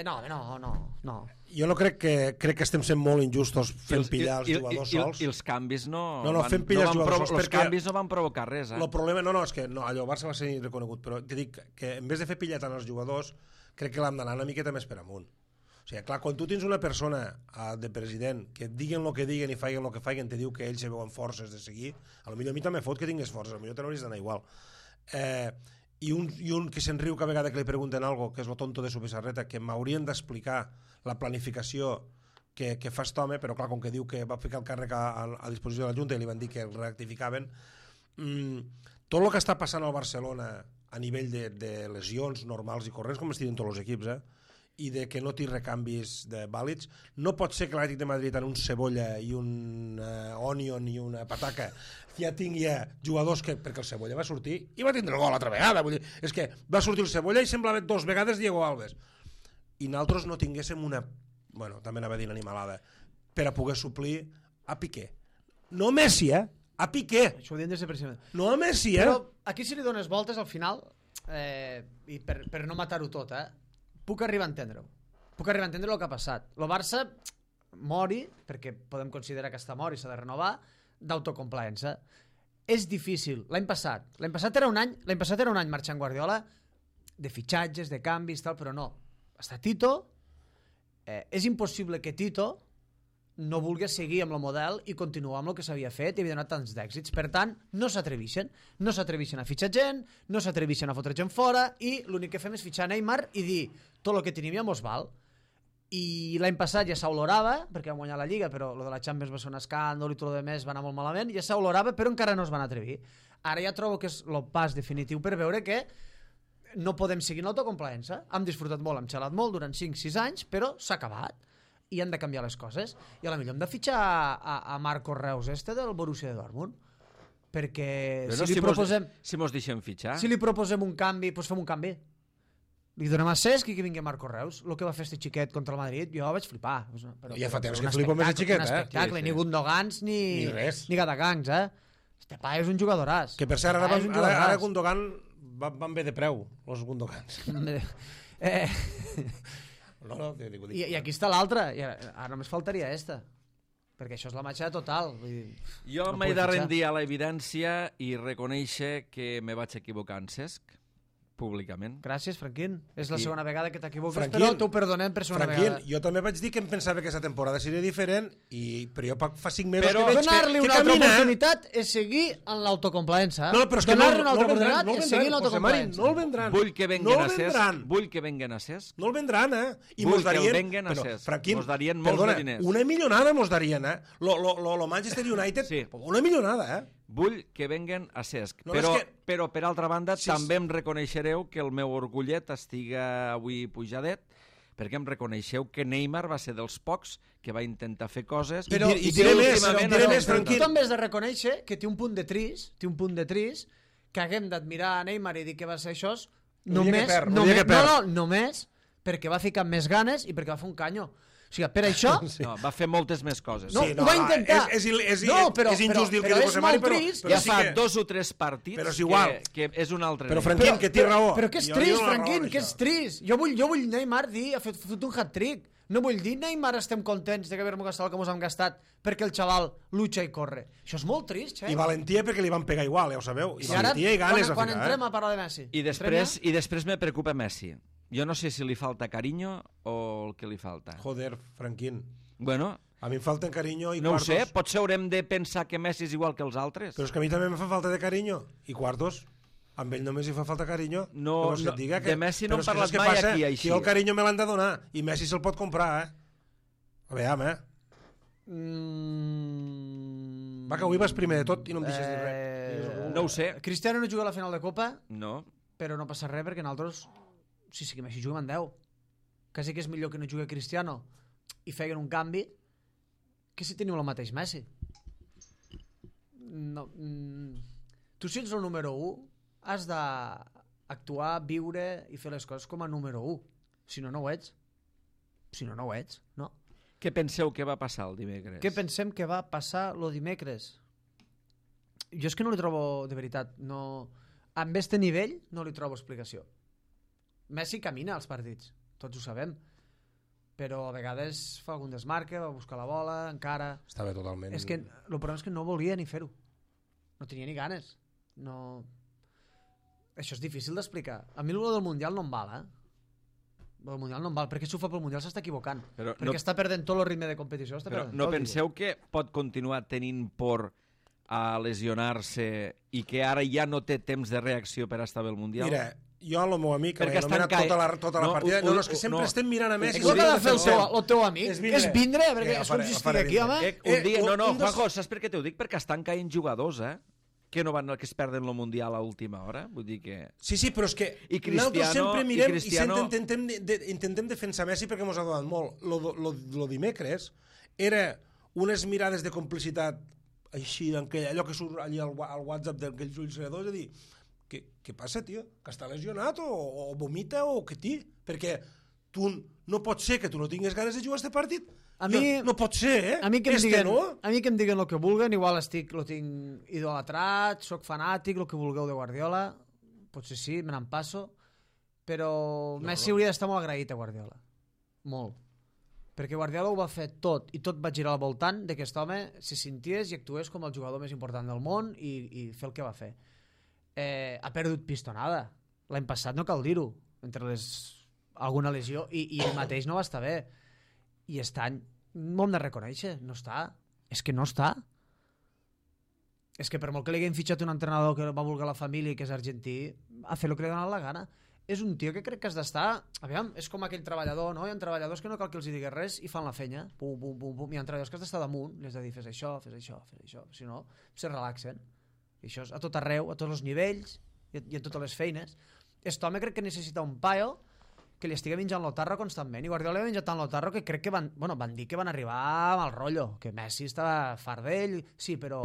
No. Jo no crec que estem sent molt injustos fent pillar els jugadors sols. I els canvis no... fent pillar els jugadors sols els canvis no van provocar res, El problema, és que allò Barça va ser reconegut, però te dic que en vez de fer pillar tant els jugadors, crec que l'hem d'anar una miqueta més per amunt. O sigui, clar, quan tu tens una persona de president que diguen el que diguen i facin el que facin, te diu que ells se veuen forces de seguir, potser a mi també fot que tingués forces, potser te n'hauries d'anar igual. I un que se'n riu cada vegada que li pregunten algo, que és lo tonto de su Pissarreta, que m'haurien d'explicar la planificació que fa aquest home, però clar, com que diu que va ficar el càrrec a disposició de la Junta i li van dir que el rectificaven, tot el que està passant al Barcelona a nivell de lesions normals i corrents, com es diuen tots els equips, i de que no té recanvis vàlids, no pot ser que l'Atlètic de Madrid en un cebolla i un onion i una pataca ja tingui jugadors que... Perquè el cebolla va sortir i va tindre el gol altra vegada. Vull dir, és que va sortir el cebolla i semblava 2 vegades Diego Alves. I nosaltres no tinguéssim una... Bueno, també anava a dir animalada, per a poder suplir a Piqué. No a Messi, a Piqué. Això ho diem des de principi. No a Messi, Però aquí si li dones voltes al final, i per no matar-ho tot, puc arribar a entendre-ho. Puc arribar a entendre el que ha passat. El Barça mori, perquè podem considerar que està mort i s'ha de renovar, d'autocomplaença. És difícil. L'any passat era un any marxant Guardiola de fitxatges, de canvis, tal, però no. Està Tito. És impossible que Tito no vulgui seguir amb el model i continuar amb el que s'havia fet i havia donat tants d'èxits. Per tant, no s'atreveixen. No s'atreveixen a fitxar gent, no s'atreveixen a fotre gent fora i l'únic que fem és fitxar Neymar i dir tot el que tenim ja mos val. I l'any passat ja s'olorava, perquè vam guanyar la Lliga, però el de la Champions va ser un escàndol i tot el més va anar molt malament, ja s'olorava, però encara no es van atrevir. Ara ja trobo que és el pas definitiu per veure que no podem seguir en l'autocomplaença. Hem disfrutat molt, hem xalat molt durant 5-6 anys, però s'ha acabat. I han de canviar les coses. I a la millor hem de fitxar a Marcos Reus del Borussia de Dortmund, perquè si mos deixem fitxar, si li proposem un canvi, doncs fem un canvi, li donem a Cesc i que vingui Marcos Reus. El que va fer este xiquet contra el Madrid, jo vaig flipar, però ja fa temps que flipo més el xiquet, un espectacle, ni Gundogans ni Gatagangs, este pa és un jugadoràs. Que per cert, ara Gundogan van bé de preu, els Gundogans. I aquí està l'altra, ara només faltaria esta, perquè això és la matxa total. Jo m'he de rendir a l'evidència i reconèixer que me vaig equivocar en Cesc, públicament. Gràcies, Franquín. És la segona vegada que t'equivoques, però t'ho perdonem per segona vegada. Franquín, jo també vaig dir que em pensava que aquesta temporada seria diferent, però jo fa 5 mesos que veig donar-li una altra oportunitat és seguir en l'autocomplaença. Donar-li una altra oportunitat és seguir en l'autocomplaença. No el vendran. Vull que venguen a Cesc. Vull que venguen a Cesc. No el vendran, I vull que el venguen a Cesc. Mos darien molts de diners. Una milionada mos darien, Lo Manchester United, una milionada, Vull que venguen a Cesc, però per altra banda també em reconeixereu que el meu orgullet estiga avui pujadet, perquè em reconeixeu que Neymar va ser dels pocs que va intentar fer coses... Però diré més, Franquín. Tu també has de reconèixer que té un punt de trist, que haguem d'admirar a Neymar i dir que va ser això, només perquè va ficar més ganes i perquè va fer un canyo. O sigui, per això... No, va fer moltes més coses. No, ho va intentar. És injust dir que diu José Mari, però ja fa 2 o 3 partits que és un altre... Però, Franquín, que té raó. Però que és trist, Franquín, que és trist. Jo vull Neymar dir, ha fet un hat-trick. No vull dir, Neymar, estem contents d'haver-nos gastat el que ens hem gastat perquè el xaval lucha i corre. Això és molt trist, I valentia perquè li van pegar igual, ja ho sabeu. I valentia i ganes a ficar. Quan entrem a parlar de Messi. I després me preocupa Messi. Jo no sé si li falta carinyo o el que li falta. Joder, Franquín. Bueno, a mi em falten carinyo i no quartos. No ho sé, potser haurem de pensar que Messi és igual que els altres. Però és que a mi també me fa falta de carinyo i quartos. amb ell només hi fa falta carinyo. No, que et diga de Messi no hem però és que parlat saps què mai passa? aquí, així. Que el carinyo me l'han de donar, i Messi se'l pot comprar, A veure, Va, que avui vas primer de tot i no em deixes dir res. No ho sé. Cristiano no juga a la final de Copa, No. però no passa res perquè nosaltres, si que Messi juga en 10. Quasi que és millor que no jugui Cristiano i feien un canvi que si teniu el mateix Messi. No, tu si ets el número 1 has d'actuar, viure i fer les coses com a número 1. Si no, no ho ets. Si no, no ho ets, no? Què penseu que va passar el dimecres? Què pensem que va passar el dimecres? Jo és que no li trobo, de veritat, no... Amb este nivell no li trobo explicació. Messi camina als partits, tots ho sabem, però a vegades fa algun desmarque, va buscar la bola, encara... Estava totalment... És que el problema és que no volia ni fer-ho. No tenia ni ganes. No... Això és difícil d'explicar. A mi el del Mundial no em val, El Mundial no em val, perquè si ho fa pel Mundial s'està equivocant. Però perquè està perdent tot el ritme de competició. Però no penseu que pot continuar tenint por a lesionar-se i que ara ja no té temps de reacció per estar bé al Mundial? Mira, jo el meu amic, que Perquè l'he anomenat tota la partida... No, és que sempre estem mirant a Messi... Què ha de fer el teu amic? És vindre? Perquè és com si estigui aquí, home. Un dia, Juanjo, saps per què t'ho dic? Perquè estan caient jugadors, que es perden el Mundial a última hora. Vull dir que... Sí, però és que nosaltres sempre mirem i sempre intentem defensar Messi perquè ens ha donat molt. Lo dimecres era unes mirades de complicitat així, allò que surt allà al WhatsApp d'aquells ulls redors, de dir, què passa, tio? Que està lesionat o vomita o què té? Perquè tu no pot ser que tu no tinguis ganes de jugar a aquest partit. No pot ser, A mi que em diguen el que vulguen, igual lo tinc idolatrat, soc fanàtic, el que vulgueu de Guardiola, potser sí, me n'empasso, però Messi hauria d'estar molt agraït a Guardiola. Molt. Perquè Guardiola ho va fer tot, i tot va girar al voltant de que aquest home se senties i actués com el jugador més important del món i fer el que va fer. Ha perdut pistonada. L'any passat no cal dir-ho, entre alguna lesió, i ell mateix no va estar bé. I aquest any m'ho hem de reconèixer, no està. És que no està. És que per molt que li haguem fitxat un entrenador que va voler la família i que és argentí, a fer el que li ha donat la gana. És un tio que crec que has d'estar... Aviam, és com aquell treballador, no? Hi ha treballadors que no cal que els diguis res i fan la feina. Pum, pum, pum, pum. Hi ha treballadors que has d'estar damunt, li has de dir fes això, fes això, fes això. Si no, se relaxen. I això és a tot arreu, a tots els nivells i a totes les feines. Aquest home crec que necessita un paio que li estigui menjant l'otarro constantment, i Guardiola li ha menjat tant l'otarro que crec que van dir que van arribar amb el rotllo, que Messi estava fart d'ell, sí, però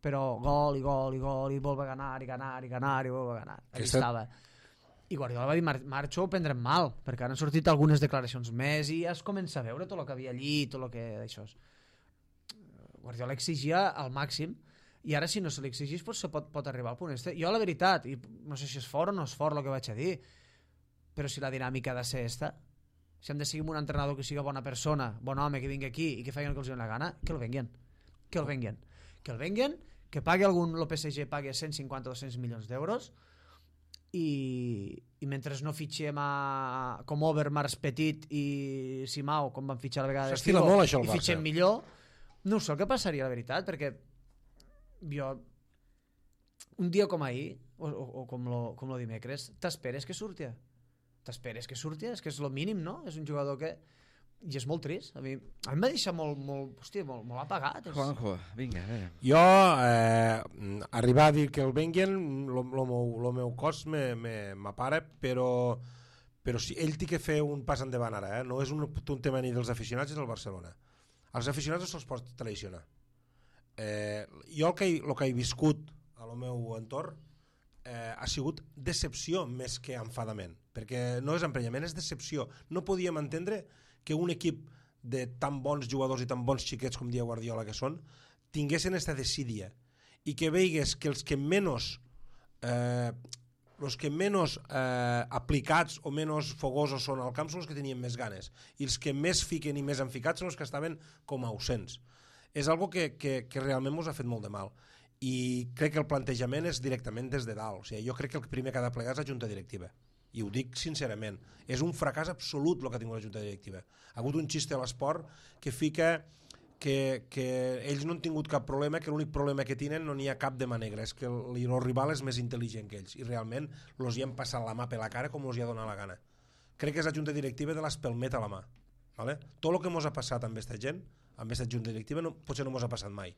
gol i gol i gol i volve a ganar i ganar i ganar i volve a ganar, allà estava. I Guardiola va dir, marxo, ho prendrem mal, perquè han sortit algunes declaracions més i ja es comença a veure tot el que havia allí, tot el que d'això. Guardiola exigia al màxim, i ara si no se li exigís pot arribar al punt este. Jo la veritat, i no sé si és fort o no és fort el que vaig a dir, però si la dinàmica ha de ser esta, si hem de seguir un entrenador que sigui bona persona, bon home, que vingui aquí i que facin el que els doni la gana, que el venguen. Que el venguen, que pagui el PSG pagui 150 o 200 milions d'euros i mentre no fitxem com Overmars, Petit i Simao, com van fitxar a vegades s'estila molt això el Barça, i fitxem millor, no sé el que passaria la veritat, perquè jo un dia com ahir o com lo dimecres t'esperes que surti, és que és el mínim, no? És un jugador que... I és molt trist. A mi em va deixar molt apagat. Juanjo, vinga, a veure. Jo, arribar a dir que el venguen, el meu cos m'apara, però sí, ell té que fer un pas endavant ara, no és un tema ni dels aficionats ni del Barcelona. Els aficionats no se'ls pot traicionar. Jo el que he viscut al meu entorn ha sigut decepció més que enfadament, perquè no és emprenyament, és decepció. No podíem entendre que un equip de tan bons jugadors i tan bons xiquets com dia Guardiola que són, tinguessin aquesta desídia i que veigues que els que menys aplicats o menys fogosos són al camp són els que tenien més ganes, i els que més fiquen i més han ficat són els que estaven com ausents. És algo que realment ens ha fet molt de mal, i crec que el plantejament és directament des de dalt. O sigui, jo crec que el primer que ha de plegar és la junta directiva, i ho dic sincerament, és un fracàs absolut el que ha tingut la junta directiva. Ha hagut un xiste a l'esport que fica que ells no han tingut cap problema, que l'únic problema que tenen no n'hi ha cap de mà negra, és que el rival és més intel·ligent que ells i realment els hi han passat la mà per la cara com els hi ha donat la gana. Crec que és la junta directiva de l'espelmet a la mà. ¿Vale? Tot el que ens ha passat amb aquesta gent, amb aquesta junta directiva, potser no ens ha passat mai.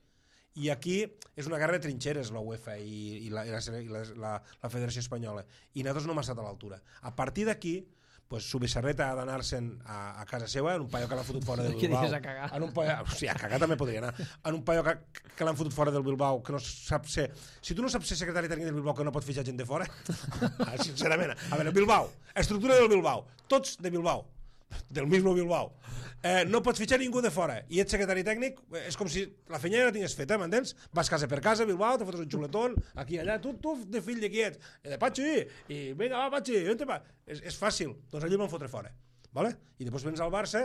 I aquí és una guerra de trinxeres la UEFA i la Federació Espanyola, i nosaltres no hem estat a l'altura. A partir d'aquí, pues, Subissarreta ha d'anar-se'n a casa seva, en un paio que l'ha fotut fora del Bilbao. Què dius, a cagar? Sí, a cagar també podria anar. En un paio que l'han fotut fora del Bilbao, que no sap ser... Si tu no saps ser secretari tècnic del Bilbao, que no pot fitxar gent de fora, sincerament, a veure, Bilbao, estructura del Bilbao, tots de Bilbao, del mismo Bilbao, no pots fitxar ningú de fora i ets secretari tècnic, és com si la feina ja la tingués feta, m'entens? Vas casa per casa, Bilbao, te fotes un xuletón, aquí allà, tu de fill de qui ets? De Patxi, i vinga, va, Patxi, on te va? És fàcil, doncs allò van fotre fora, ¿vale? I després vens al Barça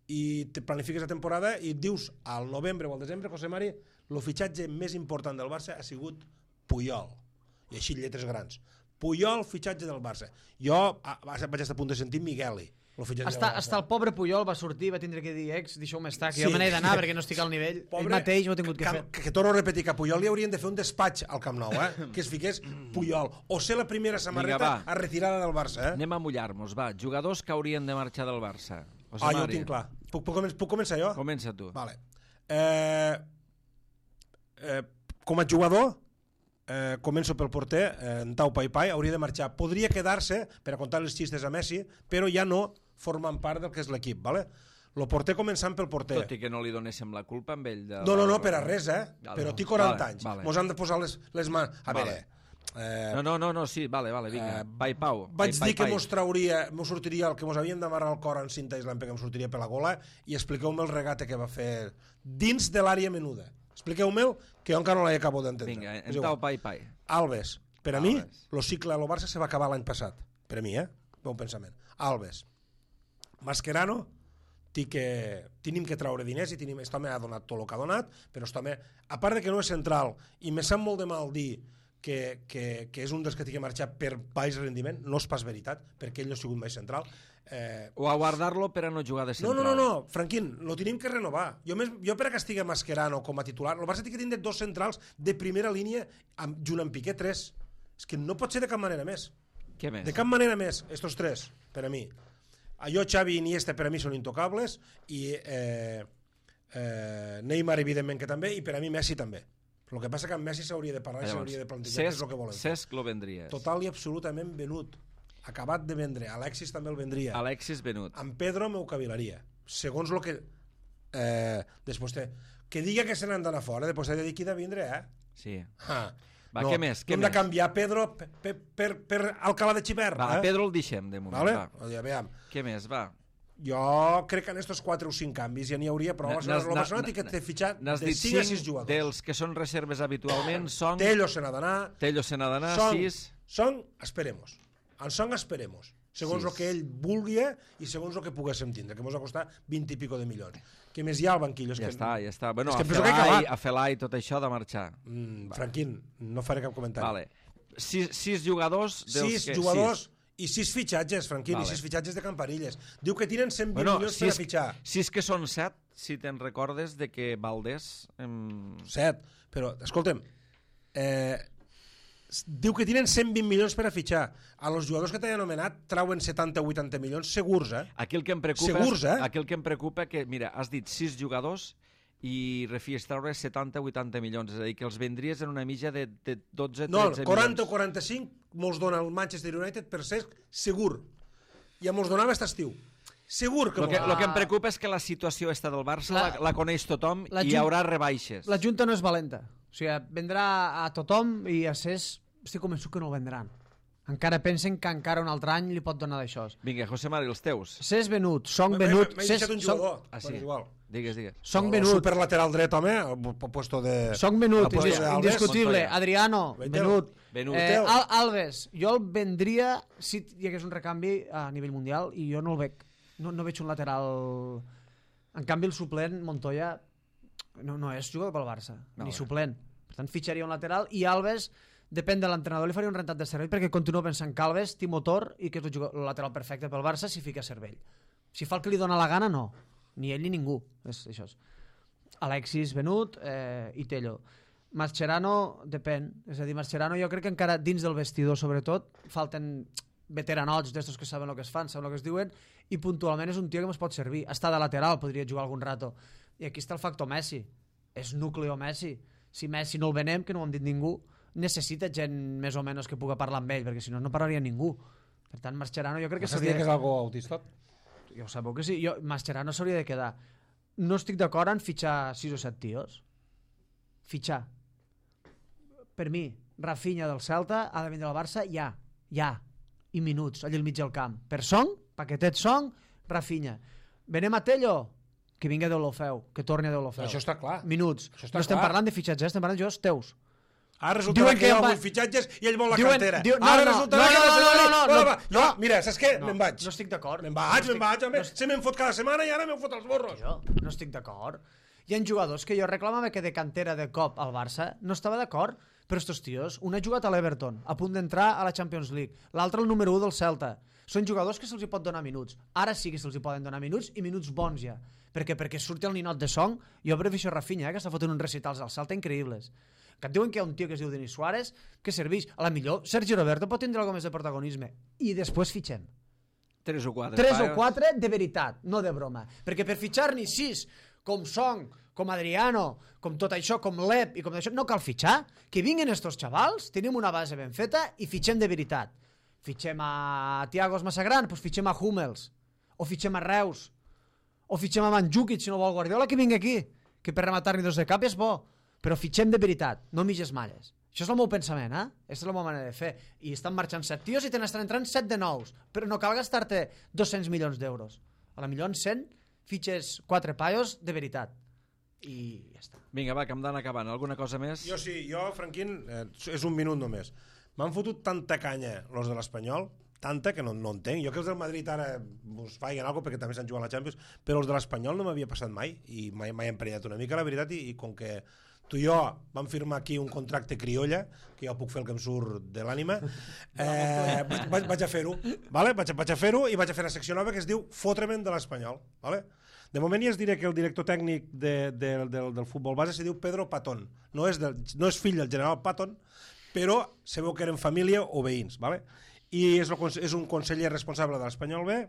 i te planifiques la temporada i dius al novembre o al desembre, José Mari, el fitxatge més important del Barça ha sigut Puyol, i així lletres grans. Puyol, fitxatge del Barça. Jo vaig estar a punt de sentir Migueli. Hasta el pobre Puyol va sortir, va tindre que dir deixeu-me estar, que jo me n'he d'anar perquè no estic al nivell. Ell mateix ho ha tingut que fer. Que torno a repetir, que a Puyol li haurien de fer un despatx al Camp Nou, que es fiqués Puyol. O ser la primera samarreta a retirada del Barça. Anem a mullar-nos, va. Jugadors que haurien de marxar del Barça. Jo ho tinc clar. Puc començar jo? Comença tu. Vale. Com a jugador, començo pel porter, en Tau Paipai, hauria de marxar. Podria quedar-se per a contar els xistes a Messi, però ja no formen part del que és l'equip, ¿vale? El porter començant pel porter. Tot i que no li donéssim la culpa amb ell. No, per a res, però té 40 anys. Mos han de posar les mans. A veure... No, sí, vale, vinga. Pau. Vaig dir que mos sortiria el que mos havien d'amarrar el cor en cinta islam perquè em sortiria per la gola, i expliqueu-me el regate que va fer dins de l'àrea menuda. Expliqueu-me'l, que jo encara no l'acabo d'entendre. Vinga, en Tau Pai. Alves. Per a mi, el cicle a lo Barça se va acabar l'any passat. Per a mi, bon pensament. Alves. Mascherano, tenim que traure diners i aquest home ha donat tot el que ha donat, però aquest home, a part de que no és central, i me sap molt de mal dir que és un dels que tingui que marxar per baix rendiment, no és pas veritat, perquè ell no ha sigut mai central. O a guardar-lo per a no jugar de central. No, Franquín, lo tenim que renovar. Jo per a que estigui Mascherano com a titular, el Barça té que tindre dos centrals de primera línia junt amb Piqué, 3. És que no pot ser de cap manera més. Què més? De cap manera més, estos 3, per a mi. Jo, Xavi i Iniesta per a mi són intocables, i Neymar evidentment que també, i per a mi Messi també. El que passa que amb Messi s'hauria de parlar i s'hauria de plantejar què és el que volem. Cesc lo vendries. Total i absolutament venut. Acabat de vendre. Alexis també el vendria. Alexis venut. Amb Pedro m'ho cavilaria. Segons el que... després que diga que se n'han d'anar fora, després ha de dir qui de vindre, Sí. Va, què més? Hem de canviar Pedro per Alcalá de Xivert. Pedro el deixem, de moment. Vale? Què més, va? Jo crec que en estos 4 o 5 canvis ja n'hi hauria, però el Barcelona té que fitxar de 5 a 6 jugadors. Dels que són reserves habitualment són... Tello se n'ha d'anar. 6. Song, esperemos. En Song esperemos. Segons el que ell vulgui i segons el que poguéssim tindre, que ens va costar 20 i pico de milions. Què més hi ha al banquillo? Ja està. Bueno, a Felai tot això de marxar. Franquín, no faré cap comentari. Vale. 6 jugadors... 6 jugadors i 6 fitxatges, Franquín, i 6 fitxatges de Campanilles. Diu que tiren 120 milions per a fitxar. 6 que són 7, si te'n recordes de que Valdés... 7, però, escolta'm, diu que tenen 120 milions per a fitxar. A los jugadors que t'he anomenat trauen 70 o 80 milions segurs, Aquí el que em preocupa és que, mira, has dit 6 jugadors i refies treure 70 o 80 milions, és a dir, que els vendries en una mitja de 12-13 milions. No, 40 o 45 mos dona el Manchester United per ser segur. I mos donava aquest estiu. Segur que... El que em preocupa és que la situació esta del Barça la coneix tothom i hi haurà rebaixes. La Junta no és valenta. O sigui, vendrà a tothom i a Cés estic convençut que no ho vendran. Encara pensen que encara un altre any li pot donar d'això. Vinga, José Mari, els teus. Cés venut, Song venut... M'he deixat un jugador. Sí. Digues. Song venut. Super lateral dret, home, al puesto de... Song venut, indiscutible. Adriano, venut. Alves, jo el vendria si hi hagués un recanvi a nivell mundial i jo no el veig. No veig un lateral... En canvi, el suplent, Montoya, no és jugador pel Barça, ni suplent. Per tant, fitxaria un lateral i Alves... Depèn de l'entrenador, li faria un rentat de cervell perquè continuo pensant que Alves té motor i que és el lateral perfecte pel Barça si fica cervell. Si fa el que li dona la gana, no. Ni ell ni ningú. És això. Alexis venut i Tello. Mascherano depèn, és a dir, Mascherano jo crec que encara dins del vestidor sobretot falten veteranots d'estos que saben el que es fan, saben el que es diuen, i puntualment és un tio que ens pot servir, està de lateral, podria jugar algun rato, i aquí està el factor Messi, és núcleo Messi, si Messi no el venem, que no ho hem dit ningú, necessita gent més o menys que puga parlar amb ell, perquè si no no parlaria ningú. Per tant, Mascherano jo crec que s'hauria... que és algo autista? Jo sabeu que sí, Mascherano s'hauria de quedar. No estic d'acord en fitxar 6 o 7 tios. Fitxar. Per mi, Rafinha del Celta ha de vindre al Barça ja, i minuts, allà al mig del camp. Per Song, paquetet Song, Rafinha. Venem a Tello, que vingui a Deulofeu, que torni a Deulofeu. Això està clar. Minuts. No estem parlant de fitxatges, estem parlant de jugadors teus. Ara resulta que jo vull fitxatges i ell vol la cantera. Ara resulta que... No, mira, saps què? Me'n vaig. No estic d'acord. Me'n vaig. Se me'n fot cada setmana i ara me'n fot els borros. No estic d'acord. Hi ha jugadors que jo reclamava que de cantera de cop al Barça no estava d'acord, però estos tios, un ha jugat a l'Everton, a punt d'entrar a la Champions League, l'altre el número 1 del Celta. Són jugadors que se'ls pot donar minuts. Ara sí que se'ls poden donar minuts i minuts bons ja. Perquè surti el ninot de Song, jo prefereixo Rafinha, que està fotent uns recitals al Celta increïbles. Que et diuen que hi ha un tio que es diu Denis Suárez, que serveix. A la millor, Sergi Roberto pot tindre alguna més de protagonisme. I després fitxem. 3 o 4. 3 o 4 de veritat, no de broma. Perquè per fitxar-n'hi 6, com Song, com Adriano, com tot això, com Lep i com això, no cal fitxar. Que vinguin estos xavals, tenim una base ben feta i fitxem de veritat. Fitxem a Thiago Massagran, doncs fitxem a Hummels, o fitxem a Reus, o fitxem a Mandzukic, si no vol Guardiola, que vingui aquí, que per rematar-n'hi 2 de cap és bo, però fitxem de veritat, no mitges malles. Això és el meu pensament, Aquesta és la meva manera de fer. I estan marxant 7 tios i te n'estan entrant 7 de nous, però no cal gastar-te 200 milions d'euros. A la millor en 100 fitxes 4 paios de veritat. I ja està. Vinga, va, que hem d'anar acabant. Alguna cosa més? Jo sí, Franquín, és un minut només. M'han fotut tanta canya los de l'Espanyol, tanta que no entenc. Jo que els del Madrid ara us faiguen alguna cosa perquè també s'han jugat a la Champions, però els de l'Espanyol no m'havia passat mai i mai he emprenyat una mica, la veritat, i com que tu i jo vam firmar aquí un contracte criolla, que jo puc fer el que em surt de l'ànima, vaig a fer-ho, vale? Vaig a fer-ho i vaig a fer una secció nova que es diu Fotremen de l'Espanyol. Vale? De moment ja es diré que el director tècnic del futbol base se diu Pedro Patón. No és fill del general Patton, però sabeu que eren família o veïns. Vale? I és un conseller responsable de l'Espanyol B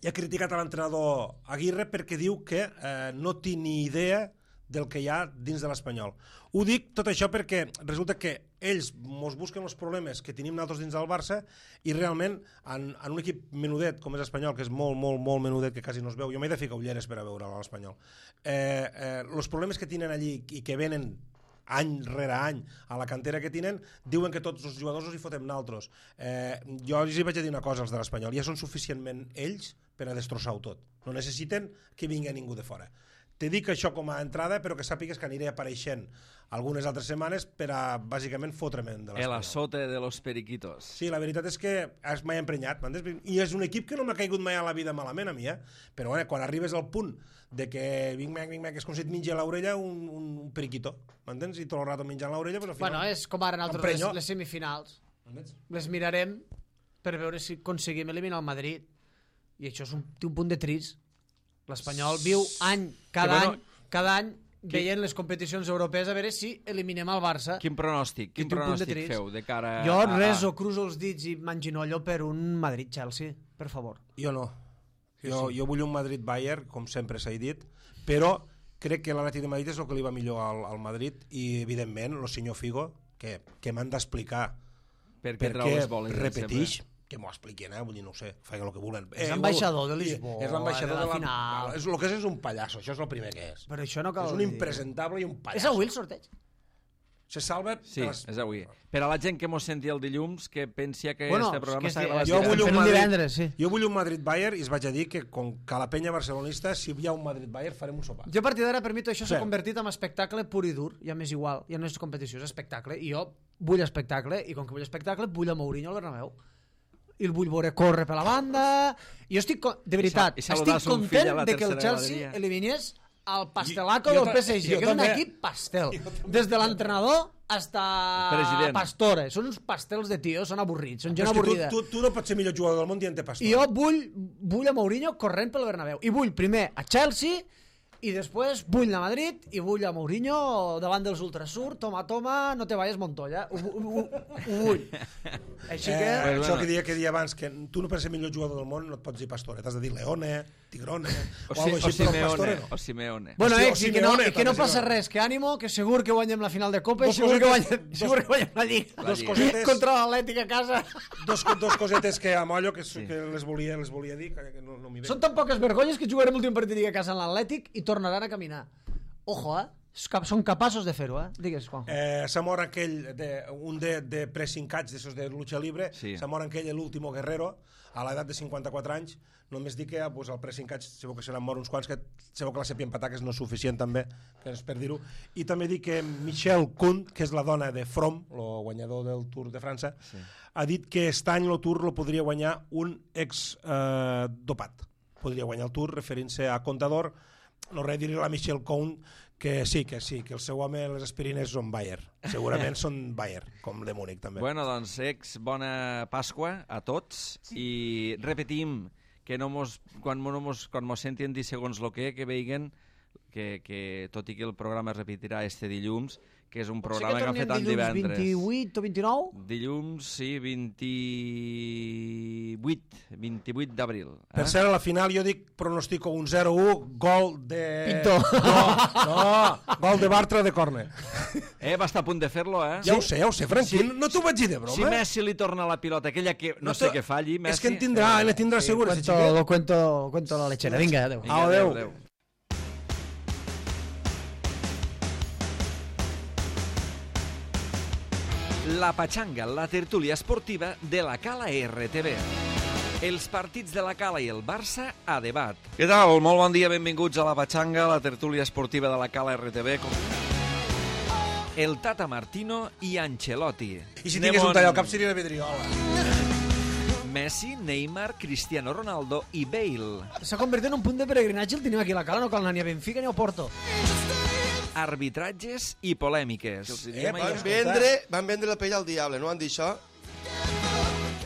i ha criticat a l'entrenador Aguirre perquè diu que no té ni idea del que hi ha dins de l'Espanyol. Ho dic tot això perquè resulta que ells mos busquen els problemes que tenim nosaltres dins del Barça i realment en un equip menudet com és l'Espanyol, que és molt, molt, molt menudet, que quasi no es veu, jo m'he de ficar ulleres per a veure l'Espanyol, els problemes que tenen allí i que venen any rere any a la cantera que tenen, diuen que tots els jugadors els hi fotem naltros. Jo els hi vaig a dir una cosa als de l'Espanyol, ja són suficientment ells per a destrossar-ho tot, no necessiten que vingui ningú de fora. Te dic això com a entrada, però que sàpigues que aniré apareixent algunes altres setmanes per a, bàsicament, fotremen de l'Espanyol. El azote de los periquitos. Sí, la veritat és que m'he emprenyat, i és un equip que no m'ha caigut mai a la vida malament a mi, però quan arribes al punt de que vinc, és com si et menja a l'orella un periquito, m'entens? I tot el rato menjant l'orella, però al final... Bueno, és com ara nosaltres les semifinals. Les mirarem per veure si aconseguim eliminar el Madrid, i això té un punt de trist. L'Espanyol viu cada any veient les competicions europees a veure si eliminem el Barça. Quin pronòstic feu de cara a... Jo reso, cruzo els dits i m'enginollo per un Madrid-Chelsea, per favor. Jo no. Jo vull un Madrid-Bayern, com sempre s'ha dit, però crec que l'Atlètic de Madrid és el que li va millor al Madrid i, evidentment, el senyor Figo, que m'han d'explicar per què repeteix, que m'ho expliquen, vull dir, no ho sé, feien el que volen. És l'ambaixador de Lisboa, és l'ambaixador de la final. El que és un pallasso, això és el primer que és. Però això no cal dir. És un impresentable i un pallasso. És avui el sorteig? Se salva... Sí, és avui. Per a la gent que mos sentia el dilluns, que pensia que este programa està gravat... Jo vull un Madrid-Bayern i es vaig a dir que com que la penya barcelonista, si hi ha un Madrid-Bayern, farem un sopar. Jo a partir d'ara, per mi, tot això s'ha convertit en espectacle pur i dur, ja m'és igual, ja no és competició, és espectacle, i jo vull espectacle, i com que vull espectacle, vull a Mourinho al Bernabéu. I el vull veure córrer per la banda, i jo estic, de veritat, estic content de que el Chelsea eliminés el pastelaco del PSG, que és un equip pastel, des de l'entrenador hasta Pastore, són uns pastels de tio, són avorrits, són gent avorrida. Tu no pots ser millor jugador del món dient-te Pastore. I jo vull a Mourinho corrent pel Bernabéu, i vull primer a Chelsea i després vull a Madrid i vull a Mourinho davant dels Ultrasur, toma, no te vayas Montoya. Ho vull. Així que... Això que deia abans, que tu no per ser millor jugador del món no et pots dir Pastore, t'has de dir Leone, Tigrone, o algo així, però Pastore no. O Simeone. Bueno, Hòstia, que no passa res, que ànimo, que segur que guanyem la final de Copa i segur que guanyem la Lliga. Dos cosetes, contra l'Atlètic a casa. dos cosetes que a mollo que les volia dir, que no m'hi ve. Són tan poques vergonyes que jugarem l'últim partit de Lliga a casa en l'Atlètic i tornaran a caminar. Ojo, són capaços de fer-ho, Digues, Juanjo. S'ha mort aquell, un de pressing catch, d'esos de lucha libre, s'ha mort aquell, l'último guerrero, a l'edat de 54 anys. Només dic que el pressing catch segur que seran mort uns quants, que segur que la sèpia empatar, que és no suficient també, que és per dir-ho. I també dic que Michelle Kuhn, que és la dona de Froome, el guanyador del Tour de França, ha dit que aquest any el Tour lo podria guanyar un ex-dopat. Podria guanyar el Tour referint-se a Contador. No res, dir-li a la Michelle Kuhn que sí, que el seu home, les aspirines són Bayer. Segurament són Bayer, com de Múnich també. Bueno, doncs, bona Pasqua a tots i repetim que quan mos sentin dir segons lo que veiguen que tot i que el programa es repetirà este dilluns, que és un programa que han fet tant divendres. 28 o 29? Dilluns, sí, 28 d'abril. Per cert, a la final jo dic, pronostico un 0-1, gol de... Pinto. No, gol de Bartra de córner. Va estar a punt de fer-lo, Ja ho sé, Franqui, no t'ho vaig dir de broma. Si Messi li torna la pilota, aquella que no sé què falli, Messi... És que en tindrà segur. Lo cuento la lechera. Vinga, adeu. Adeu. La Patxanga, la tertúlia esportiva de la Cala RTV. Els partits de la Cala i el Barça a debat. Què tal? Molt bon dia, benvinguts a la Patxanga, la tertúlia esportiva de la Cala RTV. El Tata Martino i Ancelotti. I si tingués un tall al cap seria la Vidriola. Messi, Neymar, Cristiano Ronaldo i Bale. S'ha convertit en un punt de peregrinatge el tenim aquí a la Cala, no cal anar ni a Benfica ni a Porto. Arbitratges i polèmiques. Van vendre la pell al diable, no han dit això?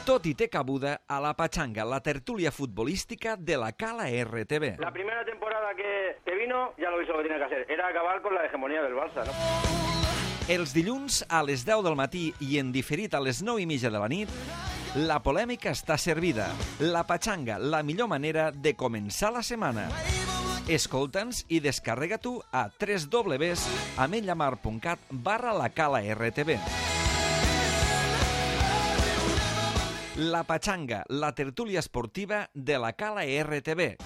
Tot i té cabuda a la Patxanga, la tertúlia futbolística de la Cala RTV. La primera temporada que vino, ya lo hizo lo que tenía que hacer. Era acabar con la hegemonía del Barça, ¿no? Els dilluns a les 10 del matí i en diferit a les 9:30 de la nit, la polèmica està servida. La Patxanga, la millor manera de començar la setmana. Escolta'ns i descarrega-t'ho a www.ametlllamar.cat/lacalaRTV. La Patxanga, la tertúlia esportiva de la Cala RTV.